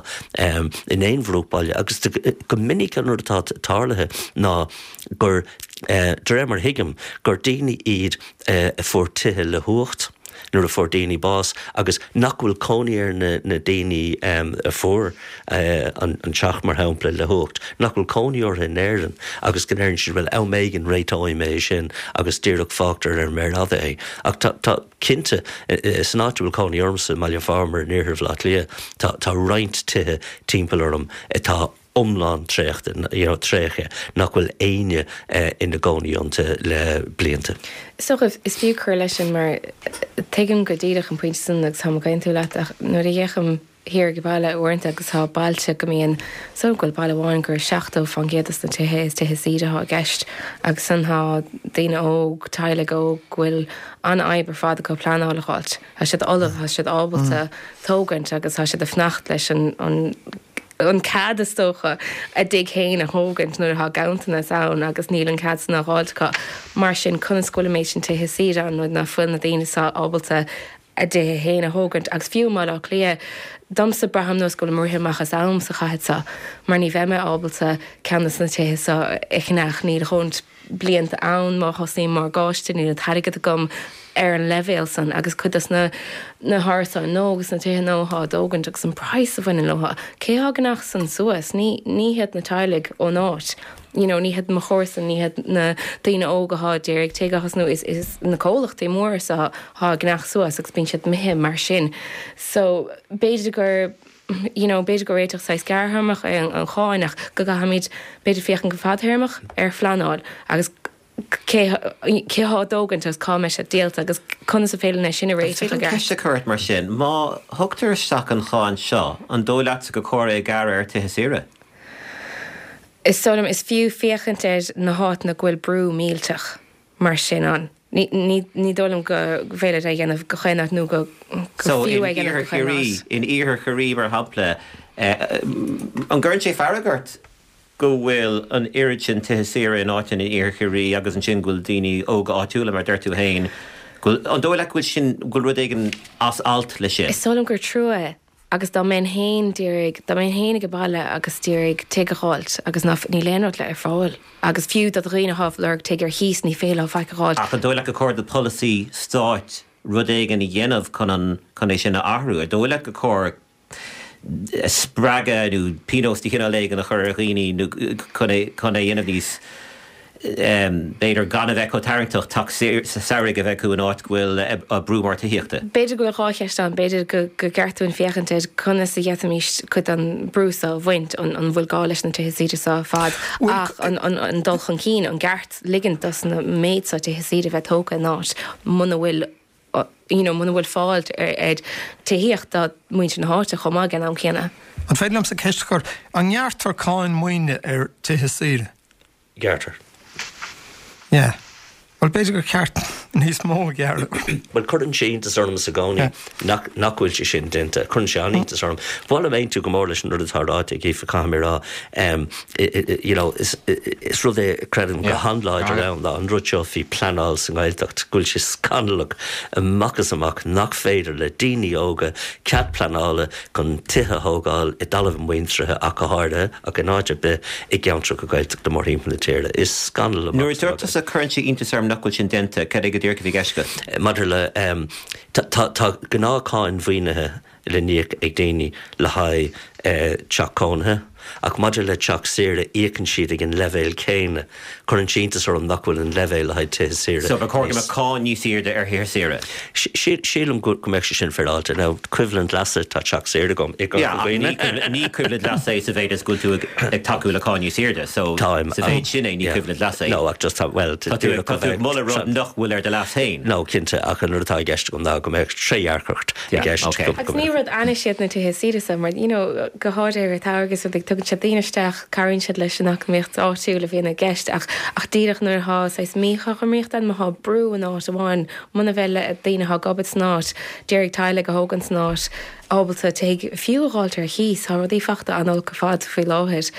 in aon bhruachbhaile agus go minic an rud atá tarlaithe ná gur, de réir mar a thuigim, gur daoine iad a fuair tithe le huacht nuair a fuair daoine bás agus nach bhfuil cónaí ar na daoine a fuair an teach, mar shampla, le huacht, nach bhfuil cónaí orthu in Éirinn agus go ndeireann siad, bhuel, am éigin réiteoidh mé é sin agus díreach fágtar ar an méar fhada é. Ach tá, tá, cinnte, san áit a bhfuil cónaí ormsa, i mBaile Phámar in iarthar Bhaile Átha Cliath, tá, tá roinnt tithe timpeall orm atá iomlán traochta, you know, tréigthe, nach bhfuil éinne ina gcónaí iontu le blianta. Is dócha, is fiú cur leis sin mar tuigim go díreach an pointe sin agus táim ag aontú leat ach nuair a fhéachaim. thiar ag baile uaireanta agus tá bailte go mbíonn, so go bhfuil baile amháin gur 70% des na tithe is tithe saoire atá i gceist agus san tá daoine óg, teaghlaigh óg go bhfuil an-fhadhb ar fad acu pleanáil a dh'fháilt. Tá siad ullamh, tá siad ábalta tógaint agus tá siad ag fanacht leis an an cead is dócha a dtigh féin a thógaint nuair atá ganntanas ann agus níl an cead san á dh'fháilt acu. Mar sin conas go bhfuil an méid sin tithe saoire ann nuair ná fuil na daoine seo ábalta a dtithe féin a thógaint agus fiú i mBaile Átha Cliath, domsa braithim nós go bhfuilim ag rith amach as am sa chathair seo mar ní bheidh mé ábalta ceann de na tithe seo a cheannach, níl a dhóthaint blianta ann má thosaím morgáiste, níl an t-airgead agam ar an leibhéal san agus cuid dos na na hárasáin nua agus na tithe nua atá á dtógaint agus an praghas a bhaineann leo, cé atá ag ceannach san suas? Ní ní hiad na teaghlaigh ón áit. You know, ní hiad mo chomharsain, ní hiad na daoine óga atá ag iarraidh tigh a thosnú, is is na comhlachtaí móra seo atá ag ceannach suas agus bíonn siad imithe mar sin. So, b'fhéidir gur, you know, b'fhéidir gur réiteach saghas gearrthéarmach é an cháin ach go gcaithfimid b'fhéidir féachaint go fadtéarmach ar phleanáil agus cé cé atá á dtógaint agus cá mbeidh siad díolta agus conas is féidir linn é sin a réiteach i gceart. Ceist a chur ort mar sin, má thugtar isteach an cháin seo, an dóigh leatsa gur chóir é a ghearradh ar tithe saoire? Is dóigh liom is fiú féachaint ar na háiteanna go bhfuil brú millteach mar sin ann. Ní ní dóigh liom go bhféidir é a dhéanamh go chaon áit nó go go fiú é a dhéanamh go chaon áit. In iarthar Chiarraí, mar shampla, an gcuireann sé fearg ort go bhfuil an oiread sin tithe saoire in áiteanna in iarthar Chiarraí agus ansin go bhfuil daoine óga áitiúla, mar a deir tú féin, go bhfuil, an dóigh leat go bhfuil sin, go bhfuil rud éigin as alt leis sin? Is dóigh liom gur trua é agus dá mbeinn féin d'iarraidh, dá mbeinn féin ag baile agus d'iarraidh tigh a dh'fháilt agus ná, níl aon rud le ar fáil agus fiú do dhaoine athá ag lorg tigh ar chíos ní féidir leo faic a dh'fháilt. Ach an dóigh leat gur chóir do pholasaí stáit rud éigin a dhéanamh chun an, chun é sin a athrú? Ar dóigh leat gur chóir spreagadh nó pionós de chineál éigin a chur ar dhaoine nó chun é, chun é a dhéanamh níos, b'fhéidir, gan a bheith chomh tarraingteach teach samhraidh a bheith acu in áit go bhfuil brú mór tithíochta. B'fhéidir go bhfuil 2 cheist ann. B'fhéidir go gceart dúinn féachaint ar conas a d'fhéadfaimis cuid den brú seo a bhaint, an bhfuil gá leis na tithe saoire seo ar fad ach an dul chun cinn, an gceart ligint dos na méid seo tithe saoire a bheith tógtha in áit muna bhfuil you know muna bhfuil fáil ar tithíocht do mhuintir na háite chomh maith ag an am céanna. An féidir liomsa ceist a chur? An ngearrtar cáin maoine ar tithe saoire? Gearrtar. Yeah. Bhuel, b'fhéidir gur cheart níos mó a ghearradh. Bhuel, cuireann sé iontas ormsa i gcónaí nach nach bhfuil sé sin déanta. Cuireann sé an-iontas orm. Ba mhaith liom aontú go mór leis an rud atá ráite ag Aoife, caithfidh mé a rá. You know, is is rud é a creidim go han-láidir ann ná an rud seo faoi pleanáil sa nGaeltacht, go bhfuil sé scannalach amach is amach nach féidir le daoine óga cead pleanála chun tithe a thógáil i dtalamh a muintire ach go háirithe, ach in áit ar bith i gceantracha Gaeltachta mórthimpeall na tíre. Is scannal amach Nuair a dúirt tusa cuireann sé iontas orm nach bhfuil sin déanta, cad é go díreach a bhí i gceist agat? Maidir le, tá, tá gnáth-cháin mhaoinithe le n-íoc ag daoine le haghaidh teach cónaithe, ach maidir le teach saoire, íocann siad ag an leibhéal céanna. Cuireann sé iontas orm nach bhfuil an leibhéal le haghaidh tithe saoire So ba chóir go mbeadh cáin níos airde ar thithe saoire? Sílim go mbeadh sé sin féaráilte. Now, coimhlint leasa, tá teach saoire agam i gCorca Dhuibhne. Yeah, ach ní coimhlint leasa é sa mhéid is go bhfuil tú ag tacú le cáin níos airde. So, Táim. sa mhéid sin é, ní coimhlint leasa é. No, ach just tá, bhuel, Tá tú ag moladh rud nach bhfuil ar do leas féin. No, cinnte, ach an rud atá i gceist agam ná go mbeadh trédhearcacht i gceist. Okay. Agus ní rud ainnis iad na tithe saoire so, mar, you know, go háirithe ar an tsamhradh is rudaí, tugann siad daoine isteach, Cabhraíonn siad leis an eacnamaíocht áitiúil a bhíonn i gceist ach ach díreach nuair atá saghas míchothromaíocht ann, má thá brú in áit amháin, muna bhfuil daoine atá ag obair san áit, d'iarraidh teaghlaigh a thógaint san áit, ábalta tigh fiú a dh'fháilt ar chíos, tá rudaí fachta an-olc ar fad faoi láthair.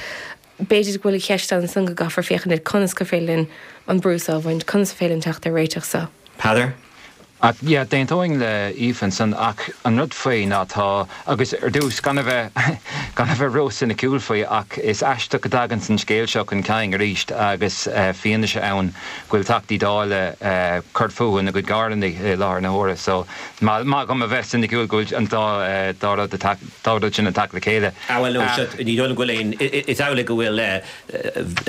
B'fhéidir go bhfuil an cheist ann ansan go gcaithfear féachaint ar conas gur féidir linn an brú seo a bhaint, conas is féidir linn teacht ar réiteach seo. Peadar? Ach yeah, d'aontóinn le Aoife ansan ach an rud faoi ná tá, agus ar dtús, gan a bheith, gan a bheith ró-soiniciúil faoi ach is aisteach go dtaganns an scéal seo chun cinn arís agus fianaise ann go bhfuil Teachtaí Dála cur fúthu ina gcuid carrannaí i láthair na huaire so maith dhom a bheith soiniciúil go bhfuil an dá, dá rud ag, dá rud sin ag teacht le chéile. Ah bhuel no, seo, ní dóigh liom go bhfuil aon, is amhlaidh go bhfuil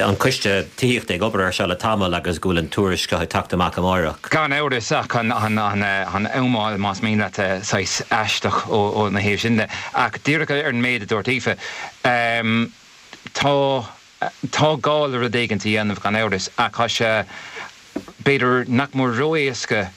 an coiste tithíochta ag obair air seo le tamall agus go bhfuil an tuairisc seo ag teacht amach amáireach. Gan amhras, ach an amáil, más mian leat, saghas aisteach óna thaobh sin de. Ach díreach ar an méid a dúirt Aoife, tá, tá gá le rud éigin a dhéanamh gan amhras, ach tá sé. B'fhéidir nach mór ró-éasca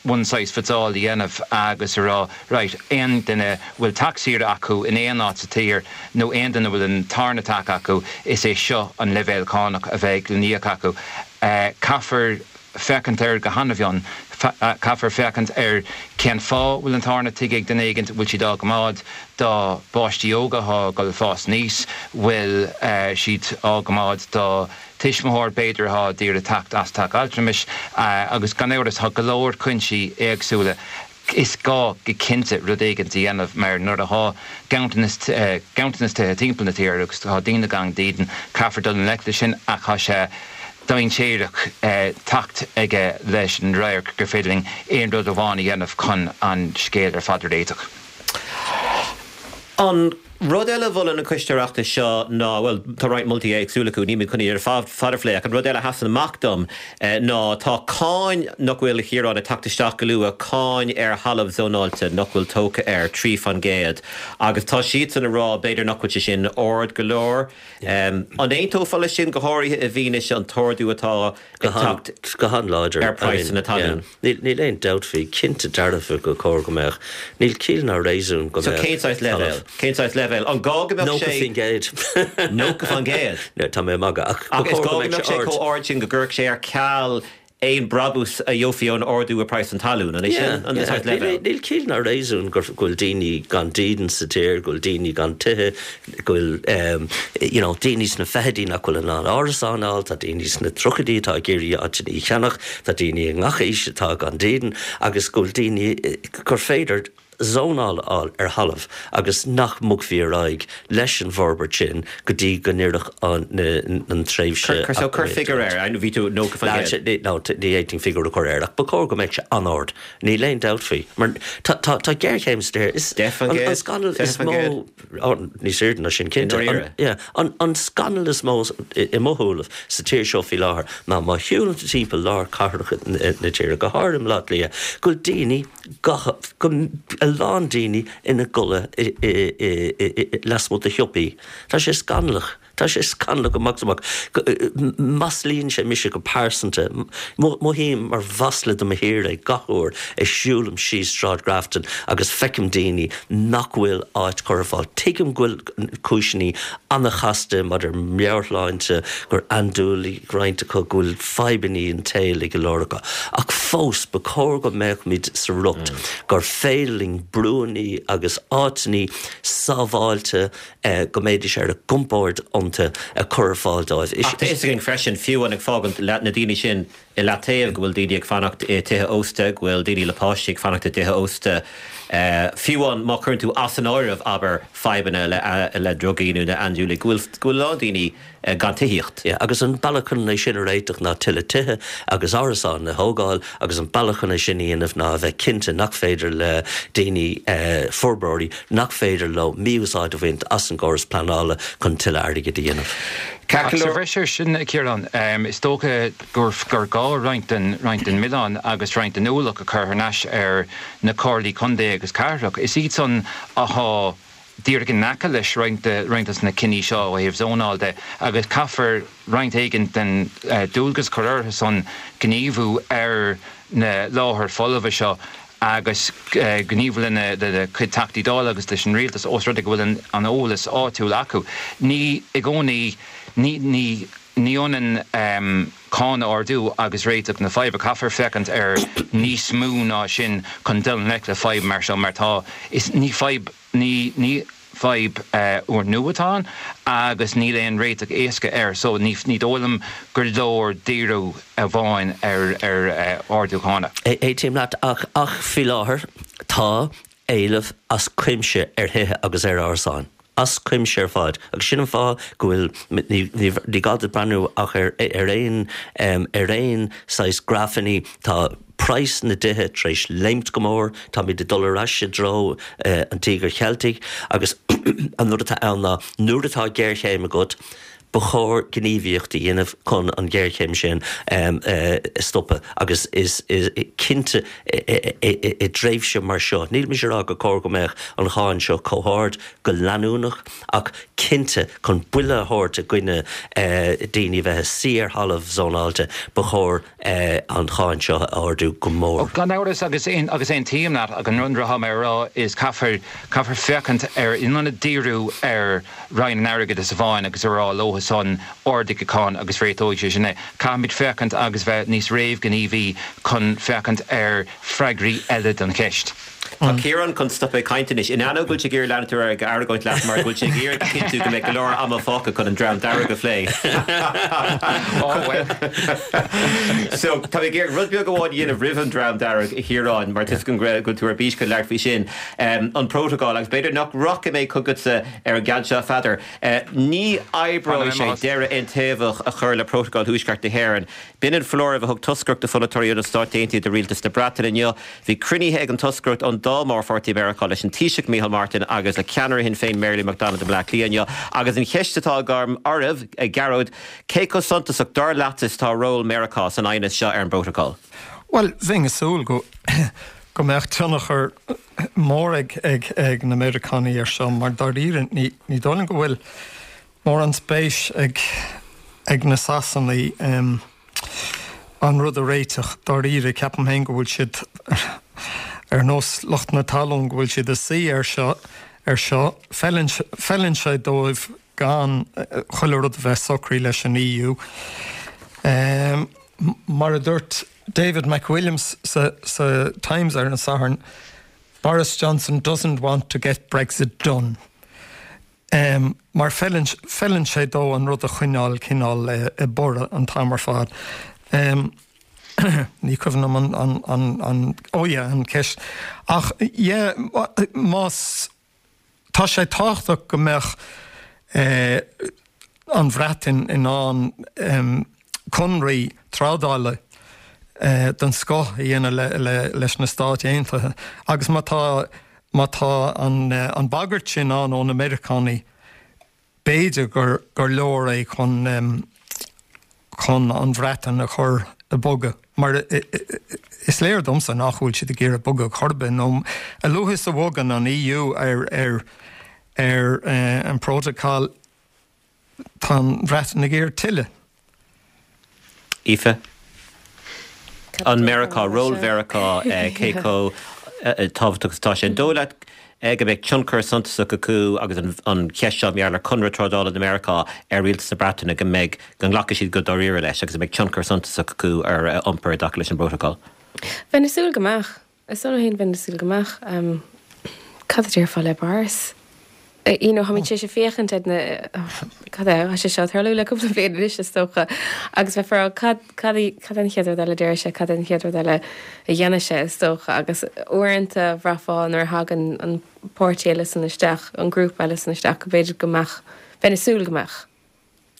one size fits all a dhéanamh agus a rá, right, aon duine a bhfuil teach saoire acu in aon áit sa tír nó aon duine a bhfuil an tarna teach acu, is é seo an leibhéal cánach a bheidh le n-íoc acu. Caithfear féachaint air go han-mhion. Caithfear féachaint ar cén fáth a bhfuil an tarna tigh ag duine éigint, bhfuil siad á gcoimeád dá bpáistí óga atá ag dul ag fás aníos, bhfuil siad á gcoimeád do tuismitheoir, b'fhéidir, atá d'iarraidh teacht as teach altramais, agus gan amhras tá go leor cuinsí éagsúla. Is gá go cinnte rud éigin a dhéanamh mar nuair atá ganntanas ganntanas tithe timpeall na tíre agus tá daoine gan dídean, caithfear dul i ngleic leis sin ach tá sé dainséarach teacht aige leis an radharc gur féidir linn aon rud amháin a dhéanamh chun an scéal ar fad a réiteach. An rud eile a mholann an Coiste Oireachtais seo ná, bhuel, tá roinnt moltaí éagsúla acu, níl mé chun iad ar fad a phlé, ach an rud eile a sheasann amach dom ná tá cáin nach bhfuil, a Chiaráin, ag teacht isteach go luath, cáin ar thalamh zónáilte nach bhfuil tógtha air, 3%, agus tá siadsan ag rá b'fhéidir nach bhfuil sé sin ard go leor. An aontófá leis sin, go háirithe i bhfianaise an t-ardú atá ag teacht Go han-láidir. ar praghsanna talún? Níl aon dabht faoi, cinnte dearfa gur chóir go mbeadh. Níl ciall ná réasún go So mbeadh cén saghas leibhéal? Cén saghas leibhéal? An gá go mbeadh sé. 90%. 90%? No, tá mé ag magadh, ach ba Ach is chóir gá go go mbeadh mbeadh sé sé ard. chomh ard sin go gcuirfeadh sé ar ceal aon brabús a gheofaí ón ardú i praghas an talún, an é sin an saghas leibhéal? Níl ciall ná réasún go bhfuil daoine gan dídean sa tír, go bhfuil daoine gan tithe, go bhfuil you know daoine sna fichidí nach bhfuil in ann árasán a fháil, tá daoine sna tríochaidí atá ag iarraidh áiteanna a cheannach, tá daoine i ngach aois atá gan dídean agus go bhfuil daoine gur féidir zónáil a fháil ar thalamh agus nach mbogfaí ar aghaidh leis an bhforbairt sin go dtí go n-oirfeadh an tréimhse Cuir so cuir figiúr air, I know bhí tú 90%. No, ní fhéadfainn figiúr a chur air ach ba chóir go mbeadh sé an-ard. Níl aon dabht faoi. Mar tá tá tá géarchéim sa tír. Is 10%? an scannal is mó 20%? Ó, níos airde ná sin, cinnte. I ndáiríre? Yeah. An, an scannal is mó i mo shúilibh sa tír seo faoi láthair ná má shiúlann tú timpeall lár cathrach na tíre, go háirithe i mBaile Átha Cliath, go bhfuil daoine, go, go, a lán daoine ina gcodladh i, i, i, i, lasmuigh de shiopaí. Tá sé scannalach. Tá sé scannalach amach is amach. Maslaíonn sé mise go pearsanta. Mothaím mar mhasla do mo thír é gach uair a siúlaim síos Sráid Grafton agus feicim daoine nach bhfuil áit curtha ar fáil. Tuigim go bhfuil cúiseanna an-chasta maidir meabhairshláinte, gur andúiligh roinnt acu, go bhfuil fadhbanna an tsaoil ag go leor acu. Ach fós, ba chóir go mbeadh muid sa riocht gur féidir linn brúanna agus áiteanna sábháilte go mbeidís ar a gcompord iontu a chur ar fáil dóibh. Ach tá fhios againn freisin, fiú amháin ag fágaint na daoine sin i leataobh, go bhfuil daoine ag fanacht i tithe ósta, go bhfuil daoine le páistí ag fanacht i dtithe ósta, fiú amháin má chuireann tú as an áireamh, abair, fadhbanna le drugaí nó le andúiligh, go bhfuil, go bhfuil a lán daoine gan tithíocht. Yeah, agus an bealach chun é sin a réiteach ná tuilleadh tithe agus árasán a thógáil agus an bealach chun é sin a dhéanamh ná a bheith cinnte nach féidir le daoine, forbróirí, nach féidir leo mí-úsáid a bhaint as an gcóras pleanála chun tuilleadh airgid a dhéanamh. Ach sa bhreis air sin, a Chiaráin, is dócha gur gur gá roinnt den roinnt den mhilleán agus roinnt den ualach a chur thar n-ais ar na comhairlí contae agus cathrach. Is iad san athá díreach in aice leis roinnt de roinnt de na cinní seo ó thaobh zónáil de agus caithfear roinnt éigin den dualgas a chur orthu san gníomhú ar na láthair folmha seo agus gníomhú lena gcuid Teachtaí Dála agus leis an Rialtas ós rud é go bhfuil an eolas áitiúil acu. Ní i gcónaí, ní ní ní ionann cáin a ardú agus réiteach na faidhbe. Caithfear féachaint ar níos mó ná sin chun dul i ngleic le fadhb mar seo mar tá, is ní fadhb, ní, ní fadhb úrnua atá ann agus níl aon réiteach éasca air so ní, ní dóigh liom gur leor díriú amháin ar, ar ardú cánach. Aontaím leat ach, ach faoi láthair tá éileamh as cuimse ar thithe agus ar árasáin. As cuimse ar fad. Agus sin an fáth go bhfuil, ní gá duit breathnú ach ar aon, ar aon saghas grafanna, tá praghas na dtithe tar éis léimt go mór, táimid ag dul ar ais i dtreo an Tíogair Cheiltigh agus an rud atá ann ná nuair atá géarchéim agat. Ba chóir gníomhaíocht a dhéanamh chun an ghéarchéim sin a stopadh agus is cinnte i dtréimhse mar seo, níl mise ag rá gur chóir go mbeadh an cháin seo chomh hard go leanúnach ach cinnte chun buille a thabhairt i gcoinne daoine a bheith ag suí ar thalamh zónáilte, ba chóir an cháin seo a ardú go mór. Gan amhras agus agus aontaím leat ach an rud atá mé a rá is caithfear caithfear féachaint ar in ionad díriú ar Roinn an Airgeadais amháin agus a rá leo san ardaigh an cháin agus réiteoidh sé sin é. Caithfimid féachaint agus bheith níos réamhghníomhaí chun féachaint ar freagraí eile don cheist. Tá Ciarán chun stopadh ag caint anois. In ainneoin go bhfuil sé ag iarraidh leanúint ar aghaidh ag argóint leat mar go bhfuil sé ag iarraidh a chinntiú go mbeidh go leor ama fágtha chun an dream dearg a phlé. Ó bhuel. So, tá mé ag iarraidh rud beag amháin a dhéanamh roimh an dream dearg, a Chiaráin, mar tá a fhios agam go bhfuil tú ar bís chun labhairt faoi sin. An Prótacal, agus b'fhéidir nach rachaidh mé chugatsa ar an gceann seo, a Pheadair. Ní oibreoidh sé deireadh aontaobhach a chur le Prótacal Thuaisceart na hÉireann. B'in an foláireamh a thug toscaireacht de pholaiteoirí ó na Stáit Aontaithe do rialtas na Breataine inniu. Bhí cruinnithe ag an toscaireacht ón dá mhórpháirtí i Meiriceá leis an Taoiseach Micheál Martin agus le ceannaire Shinn Féin Mary Lou McDonald i mBleá Cliath inniu. Agus an cheist atá agam oraibh, a Ghearóid, cé chomh suntasach, dar leatsa, is atá ról Meiriceá san aighneas seo ar an bPrótacal? Bhuel, bheinn ag súil go. go mbeadh tionchar mór ag na Meiriceánaigh air seo mar dáiríre ní dóigh liom go bhfuil mórán spéis ag na Sasanaigh an rud a réiteach dáiríre. Ceapaim féin go bhfuil siad ar nós lucht na talún, go bhfuil siad ag suí air seo ar seo. Feileann sé dóibh gan chuile rud a bheith socraithe leis an EU. Mar a dúirt David McWilliams sa Times ar an Satharn, Boris Johnson doesn't want to get Brexit done. Mar feileann sé dó an rud a choinneáil cineál i mborradh an t-am ar fad. Ní cuimhin liom an, an, an, oh yeah, an ceist. Ach yeah, más. Tá sé tábhachtach go mbeadh an Bhreatain in ann conraí trádála den scoth a dhéanamh leis na Stáit Aontaithe agus má tá má tá an bhagairt sin ann ó na Meiriceánaigh, B'fhéidir gur leor é chun chun an Bhreatain a chur ag bogadh, mar is léir domsa nach bhfuil siad ag iarraidh bogadh chor ar bith, nó a luaithe is a bhogann an EU ar ar ar an bprótacal, tá an Bhreatain ag iarraidh tuilleadh. Aoife. An Meiriceá, ról Mheiriceá, cé chomh tábhachtach is atá sé? An dóigh leat go mbeidh tionchar suntasach acu agus an cheist seo mar gheall ar chonradh trádála le Meiriceá ar rialtas na Breataine, go mbeidh, go nglacfaidh siad go dáiríre leis agus go mbeidh tionchar suntasach acu ar a iompar i dtaca leis an bprótacal? Bheinn ag súil go mbeadh. Is dóigh liom féin, bheinn ag súil go mbeadh. Cad a déarfá le Boris? You know, táimid tar éis féachaint ar na, cad é, tá sé seo ag tarlú le cúpla bliain anois is dócha, agus bheifeá ag rá cad, cad, cad é an chéad rud eile a déarfaidh sé, cad é an chéad rud eile a dhéanfaidh sé is dócha, agus uaireanta bhraithfeá nuair a thagann an páirtí eile san isteach, an grúpa eile san isteach, go b'fhéidir go mbeadh, bheinn ag súil go mbeadh.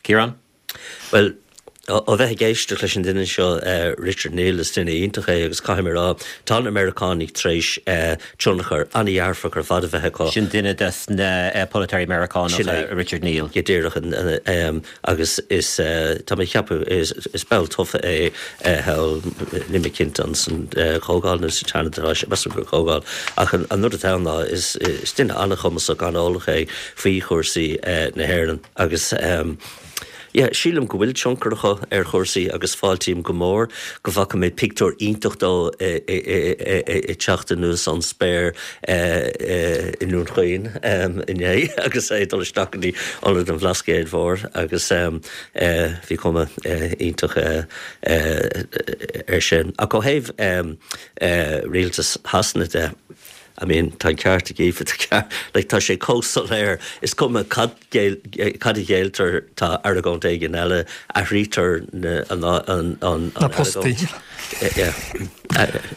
Ciarán? Bhuel, ó bheith ag éisteacht leis an duine seo, Richard Neal, is duine iontach é agus caithfidh mé a rá, tá na Meiriceánaigh tar éis tionchar an-dhearfach ar fad a bheith acu. Sin duine des na polaiteoirí Meiriceánacha, Richard Neal. Go díreach, agus is, tá mé ag ceapadh, is ball tofa é thall, níl mé cinnte an san Chomhdháil nó sa tSeanad atá sé, measaim gur Comhdháil, ach an rud atá ann ná is duine an-chumasach, an-eolach é faoi chúrsaí na hÉireann. Agus yeah, sílim go bhfuil tionchar acu ar chúrsaí agus fáiltím go mór go bhfaca mé pictiúr iontach dó ag teacht anuas ón spéir i nDún Chaoin inné agus é ag dul isteach go dtí Ionad an Bhlascaoid Mhóir agus bhí cuma iontach air sin. Ach ó thaobh rialtas Shasana de, I mean, tá an ceart ag Aoife, tá ceart, like, tá sé chomh soiléir, is cuma cad, cad a ghéilltear, tá argóint éigin eile, athraítear na, an, an, an, Na postaí. Yeah,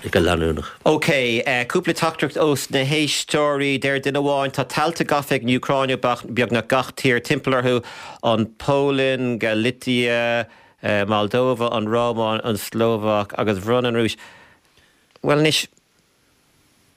go leanúnach. Ok, cúpla teachtaireacht ós na héisteoirí. Deir duine amháin, tá tailte gafa ag an Úcráin ó beagnach gach tír timpeall orthu, an Pholainn, Galicia, Moldova, an Rómáin, an tSlóvaic agus bhronn an Rúis, bhuel anois.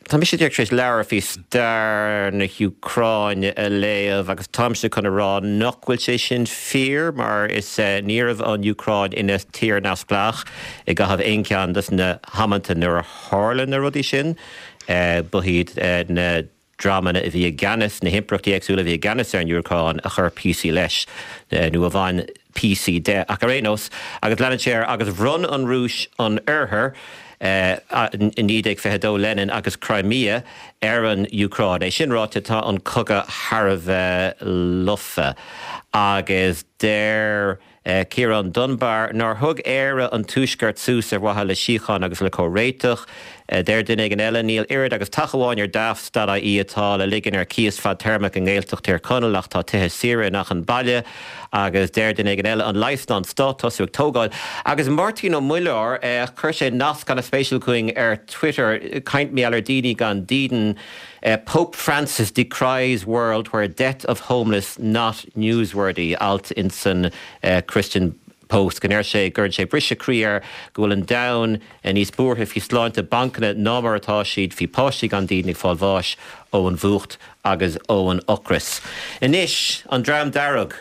Tá mise díreach tar éis leabhar faoi stair na hÚcráine a léamh agus táimse chun a rá nach bhfuil sé sin fíor mar is ní raibh an Úcráin ina tír neamhspleách i gcaitheamh aon cheann dos na hamanta nuair a tharla na rudaí sin. Ba iad na dreamanna a bhí i gceannas, na himpireachtaí éagsúla a bhí i gceannas ar an Úcráin a chuir píosaí leis nó a bhain píosaí de. Ach ar aon nós, agus leanann sé air, agus bhronn an Rúis an Oirthear i 1922, Lenin agus Crimea ar an Úcráin. É sin ráite, tá an cogadh thar a bheith lofa agus deir. Ciarán Dunbar, nár thug Éire an Tuaisceart suas ar mhaithe le síocháin agus le comhréiteach. Deir duine éigin eile, níl oiread agus teach amháin ar Daft.ie atá le ligean ar cíos fadtéarmach i nGaeltacht Thír Chonaill ach tá tithe saoire in achan baile. Agus deir duine éigin eile, an leigheas ná an stát tosú ag tógáil. Agus Máirtín Ó Muilleoir, chuir sé nasc an-spéisiúil chugainn ar Twitter, caint mar gheall ar daoine gan dídean. Pope Francis decries world where death of homeless not newsworthy, alt insan Christian Post, go ndeir sé gcuireann sé briseadh croí air go bhfuil an domhan níos buartha faoi sláinte bancanna ná mar atá siad faoi páistí gan dídean ag fáil bháis ón bhfuacht agus ón ocras. Anois, an Dream Dearg.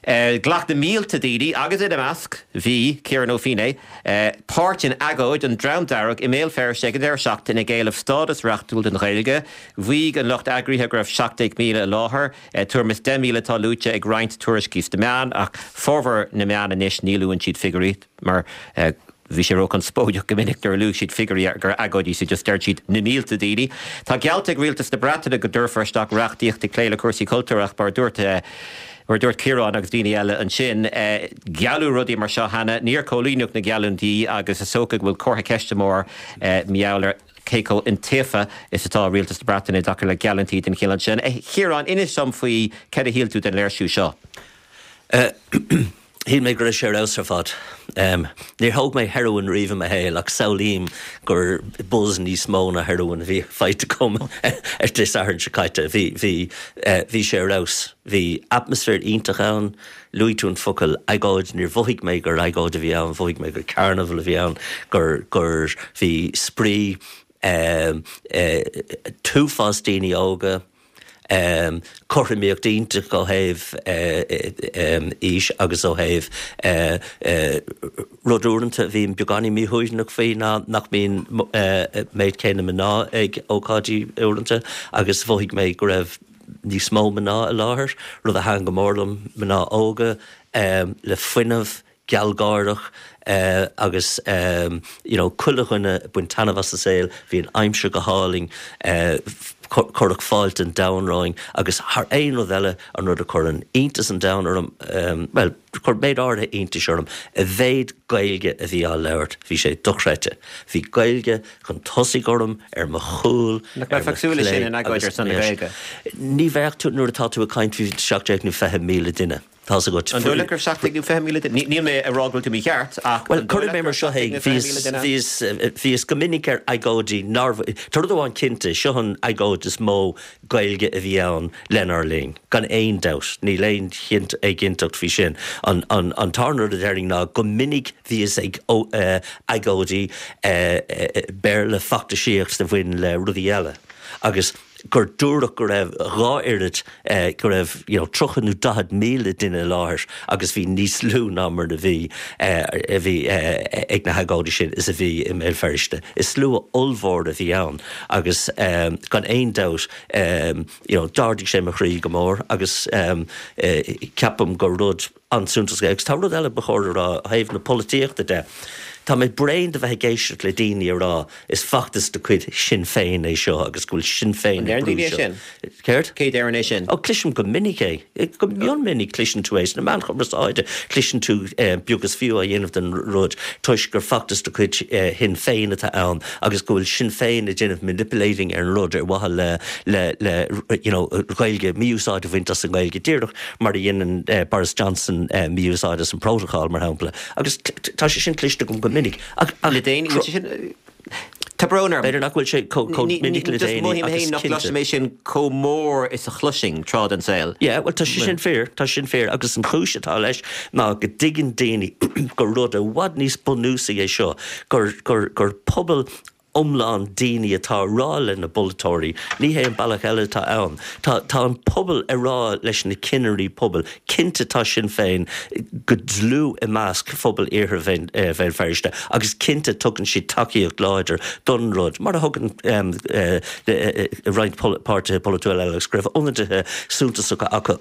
Ghlac na mílte daoine, agus ina measc bhí Ciarán Ó Feinneadha, páirt in agóid an Dream Dearg i mBéal Feirste ag an deireadh seachtaine ag éileamh stádas reachtúil don Ghaeilge. Mhaígh an lucht eagraithe go raibh 17,000 i láthair. Tuairim is 10,000 atá luaite ag roinnt tuairiscí sna meáin, ach formhór na meán anois ní luann siad figiúirí mar Bhí sé róchonspóideach go minic nuair a luaigh siad figiúirí gur agóidí so just deir siad na mílte daoine. Tá geallta ag rialtas na Breataine go dtabharfar isteach reachtaíocht ag plé le cúrsaí cultúir ach mar a dúirt mar a dúirt Ciarán agus daoine eile ansin, gealladh rudaí mar seo cheana, níor comhlíonadh na geallúintí agus is dócha go bhfuil comhartha ceiste mór mar gheall ar cé chomh iontaofa is atá rialtas na Breataine i dtaca le geallúintí den chineál sin. A Chiaráin, inis dom faoi céard a shíl tú den léirsiú seo. Shíl mé go raibh sé ar fheabhas ar fad. Níor thóg mé heroin riamh i mo shaol ach samhlaím gur buzz níos mó ná heroin a bhí faighte agam ar Dé Sathairn seo caite. Bhí, bhí, bhí sé ar fheabhas. Bhí atmaisféar iontach ann. Luaigh tú an focal agóid, níor mhothaigh mé gur agóid a bhí ann, mhothaigh mé gur carnival a bhí ann, gur, gur, bhí spraoi, t-uafás daoine óga, Cothromaíocht iontach ó thaobh aois agus ó thaobh rud uaireanta a bhím beagáinín míshuaimhneach faoi ná nach mbíonn méid céanna mná ag ócáidí uaireanta agus mhothaigh mé go raibh níos mó mná i láthair, rud a thaitin go mór liom, mná óga le fuinneamh. gealgháireach agus you know chuile dhuine ag baint taitneamh as an saol, bhí an aimsir go hálainn, cuireadh fáilte an domhain romhainn agus thar aon rud eile an rud a chuireann iontas an domhain orm, bhuel chuir méid áirithe iontais orm, a mhéid Gaeilge a bhí á labhairt, bhí sé dochreidte. Bhí Gaeilge chun tosaigh orm, ar mo chúl, Nach ar mo mbeifeá ag súil leis sin in agóid ar son na Gaeilge? Ní bheadh tú nuair atá tú ag caint faoi 17 nó 20,000 duine. Tá's agat. An dóigh leat go raibh 17 nó 20,000 duine? Níl mé ag rá go bhfuil tú mícheart, ach Bhuel, an dóigh cuirfidh leat mé go mar raibh seo é, 17 nó 20,000 duine? bhíos, bhíos go minic ar agóidí nár, tá rud amháin cinnte, seo an agóid is mó Gaeilge a bhí ann lenár linn, gan aon dabht, níl aon éiginnteacht faoi sin. An, an, an tarna rud a déarfainn ná go minic bhíos ag agóidí Béarla feachtasaíocht a bhain le rudaí eile agus, gur dúradh go raibh dhá oiread, go raibh you know 30 nó 40,000 duine i láthair agus bhí níos lú ná mar a bhí, a bhí ag na hagóidí sin is a bhí i mBéal Feirste. Is slua ollmhór a bhí ann agus gan aon dabht you know d'ardaigh sé mo chroí go mór agus ceapaim gur rud an-suntasach é. Agus tá rud eile ba chóir a rá ó thaobh na polaitíochta de. Tá mé bréan de bheith ag éisteacht le daoine a rá is feachtas de chuid Sinn Féin é seo agus go bhfuil Sinn Féin ag brú seo. An deireann daoine é sin? Céard? Cé deireann é sin? Ó, cloisim go minic é. Go mion minic cloiseann tú é sna meáin chumarsáide. Cloiseann tú beag is fiú á dhéanamh den rud toisc gur feachtas de chuid Shinn Féin atá ann agus go bhfuil Sinn Féin ag déanamh manipulating ar an rud ar mhaithe le le le you know Gaeilge, mí-úsáid a bhaint as an nGaeilge díreach mar a dhéanann Boris Johnson mí-úsáid as an Protocol, mar shampla, agus tá sé sin cloiste agam go minic. Ach le déanaí, bhfuil sé sin, tá brón orm. B'fhéidir nach bhfuil sé chomh minic le déanaí, mothaím féin nach gcloisim é sin chomh mór is a chloisinn tráth den saol. Yeah, bhuel tá sé sin fíor, tá sé sin fíor, agus an chúis atá leis ná go dtuigeann daoine gur rud i bhfad níos bunúsaí é seo, gur, gur, gur pobal. iomlán daoine atá ag rá le na polaiteoirí, ní hé an bealach eile atá ann. Tá tá an pobal ag rá leis na cinnirí pobail, cinnte tá Sinn Féin go dlúth i measc phobal Iarthar Bhéal Feirste agus cinnte tugann siad tacaíocht láidir don rud, mar a thugann roinnt páirtithe polaitiúla eile agus go raibh ionadaithe suntasacha acu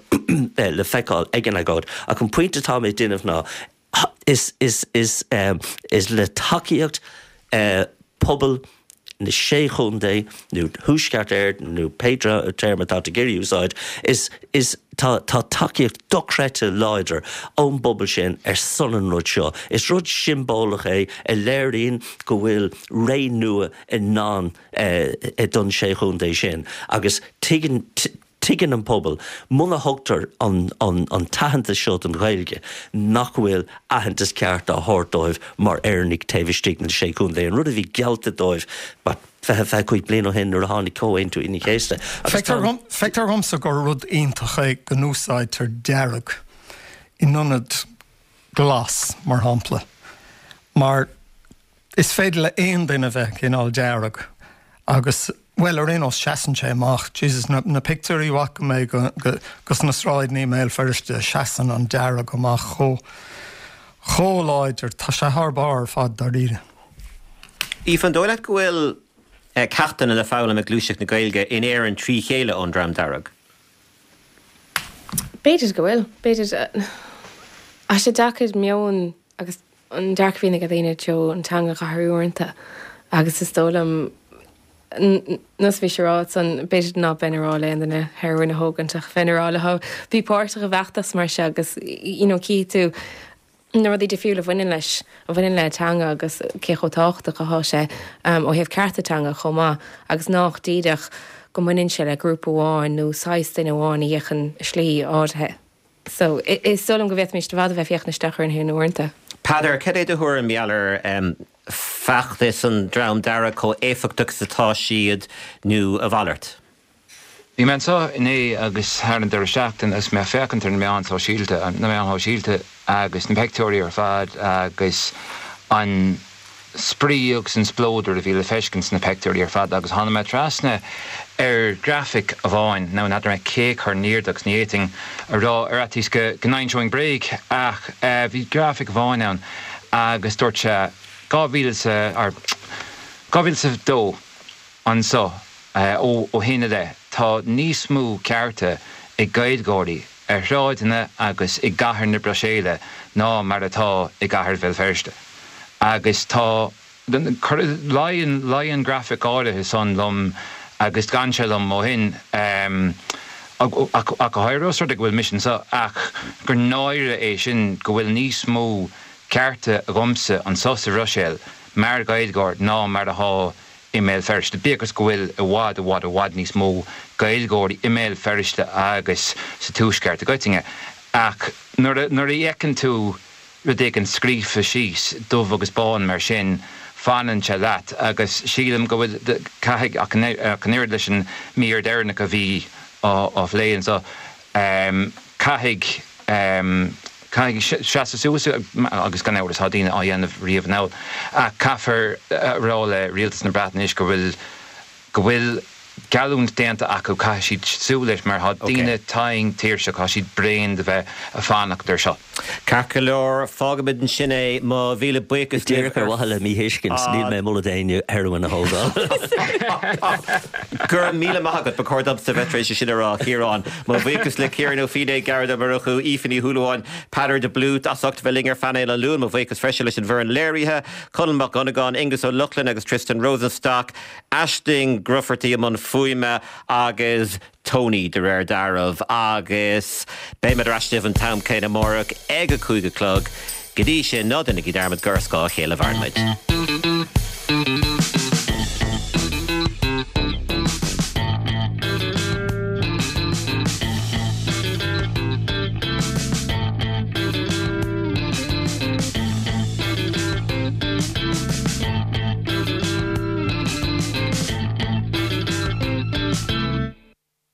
le feiceáil ag an agóid. Ach an pointe atá mé ag déanamh ná, Is is le tacaíocht pobal na Sé Chontae, nó Thuaisceart Éireann, nó pé téarma atá tú ag iarraidh a úsáid, is is tá tá tacaíocht dochreidte láidir ón bpobal sin ar son an rud seo. Is rud siombalach é a léiríonn go bhfuil ré nua i ndán don Sé Chontae sin agus tuigeann Tuigeann an pobal, muna thugtar an an t-aitheantas seo don Ghaeilge, nach bhfuil aitheantas ceart á thabhairt dóibh mar Éireannaigh taobh istigh de na Sé Chontae, an rud a bhí geallta dóibh 20, 25 bliain ó shin nuair a tháinig Comhaontú Aoine an Chéasta. Agus tá an. Feictear dhomsa gur rud iontach é go n-úsáidtear dearg in ionad glas, mar shampla, mar Is féidir le aon duine bheith cineál dearg agus, bhuel, ar aon nós, seasann sé amach. Jesus, na, na pictiúirí a bhfaca mé go, go, gos na sráideanna i mBéal Feirste, seasann an dearg amach chomh, chomh láidir. Tá sé thar barr ar fad, dáiríre. Aoife, an dóigh leat go bhfuil ceachtanna le foghlaim ag gluaiseacht na Gaeilge in Éirinn trí chéile ón Dream Dearg? B'fhéidir go bhfuil. B'fhéidir. Tá sé deacair meon agus an dearcadh a bhíonn ag daoine i dtreo an teanga a athrú uaireanta agus is dóigh liom nós a bhí sé a rá ansan, b'fhéidir ná beinn ag rá le aon duine heroin a thógaint ach bheinn ag rá leo bí páirteach i bhfeachtas mar seo agus you know cífidh tú na rudaí difriúla a bhaineann leis, a bhaineann le teanga agus cé chomh tábhachtach atá sé ó thaobh cearta teanga chomh maith agus nách díreach go mbaineann sé le grúpa amháin nó saghas duine amháin a fhéachann i slí áirithe. So, is dóigh liom go bhféadfaimis i bhfad a bheith ag féachaint isteach orainn féin uaireanta. Peadar, cad é do thuairim mar gheall ar feachtas an Dream Dearg, chomh éifeachtach is atá siad nó a mhalairt? Bhí mé anseo inné agus thar an deireadh seachtaine agus mé ag féachaint ar na meáin sóisialta, na meáin shóisialta agus na peictiúirí ar fad agus an spraoi agus an spleodar a bhí le feiscint sna peictiúirí ar fad agus tháinig mé trasna ar ghrafaic amháin, now n'fheadar mé cé a chuir in airde agus ní fhéadfainn a rá ar fhaitíos go n-inseoinn bréag ach bhí grafaic amháin ann agus dúirt sé 2000 or 2002 anso ó shin i leith tá níos mó cearta ag Gaeilgeoirí ar shráideanna agus i gcathair na Bruiséile ná mar atá i gcathair Bhéal Feirste. Agus tá, luigh an, luigh an grafaic áirithe san liom agus d'fhan sé liom ó shin, ach go háirithe os rud é go bhfuil mise anso, ach gur náire é sin go bhfuil níos mó cearta agamsa anso sa Bhruiséil mar Ghaeilgeoir ná mar athá i mBéal Feirste, bíodh is go bhfuil i bhfad, i bhfad, i bhfad níos mó Gaeilgeoirí i mBéal Feirste agus sa Tuaisceart i gcoitinne. Ach nuair a, nuair a fheiceann tú rud éigin scríofa síos, dubh agus bán mar sin, fanann sé leat agus sílim go bhfuil, caithfidh, ach an, ach an oiread leis an mír deireanach a bhí á, á phlé anseo, caithfidh, caithfidh seasamh suas, agus gan amhras tá daoine á dhéanamh riamh anall, ach caithfear a rá le Rialtas na Breataine anois go bhfuil, go bhfuil geallúint déanta acu, caithfidh siad súil leis mar tá daoine tinn tuirseach, tá siad bréan de bheith ag fanacht air seo. Ceart go leor, fágfaimid ansin é. Mo mhíle buíochas libh. Díreach ar mhaithe le míthuiscint, níl mé ag moladh d'éinne heroin a thógáil. Go raibh míle maith agat, ba chóir domsa bheith tar éis é sin a rá, a Chiaráin. Mo bhuíochas le Ciarán Ó Feinneadha, Gearóid Ó Murchú, Aoife Ní Shúilleabháin, Peadar de Blúit as ucht bheith linn ar phainéal an Luain. Mo bhuíochas freisin leis an bhfoireann léirithe, Conall Mac Dhonnagáin, Aengus Ó Lochlainn agus Tristan Rosenstock, Aisling Grufferty i mbun fuaime agus Tony de réir dealraimh agus beimid ar ais libh an t-am céanna amárach ag a 5 a chlog. Go dtí sin, ná déanaigí dearmad gur ar scáth a chéile a mhaireann muid.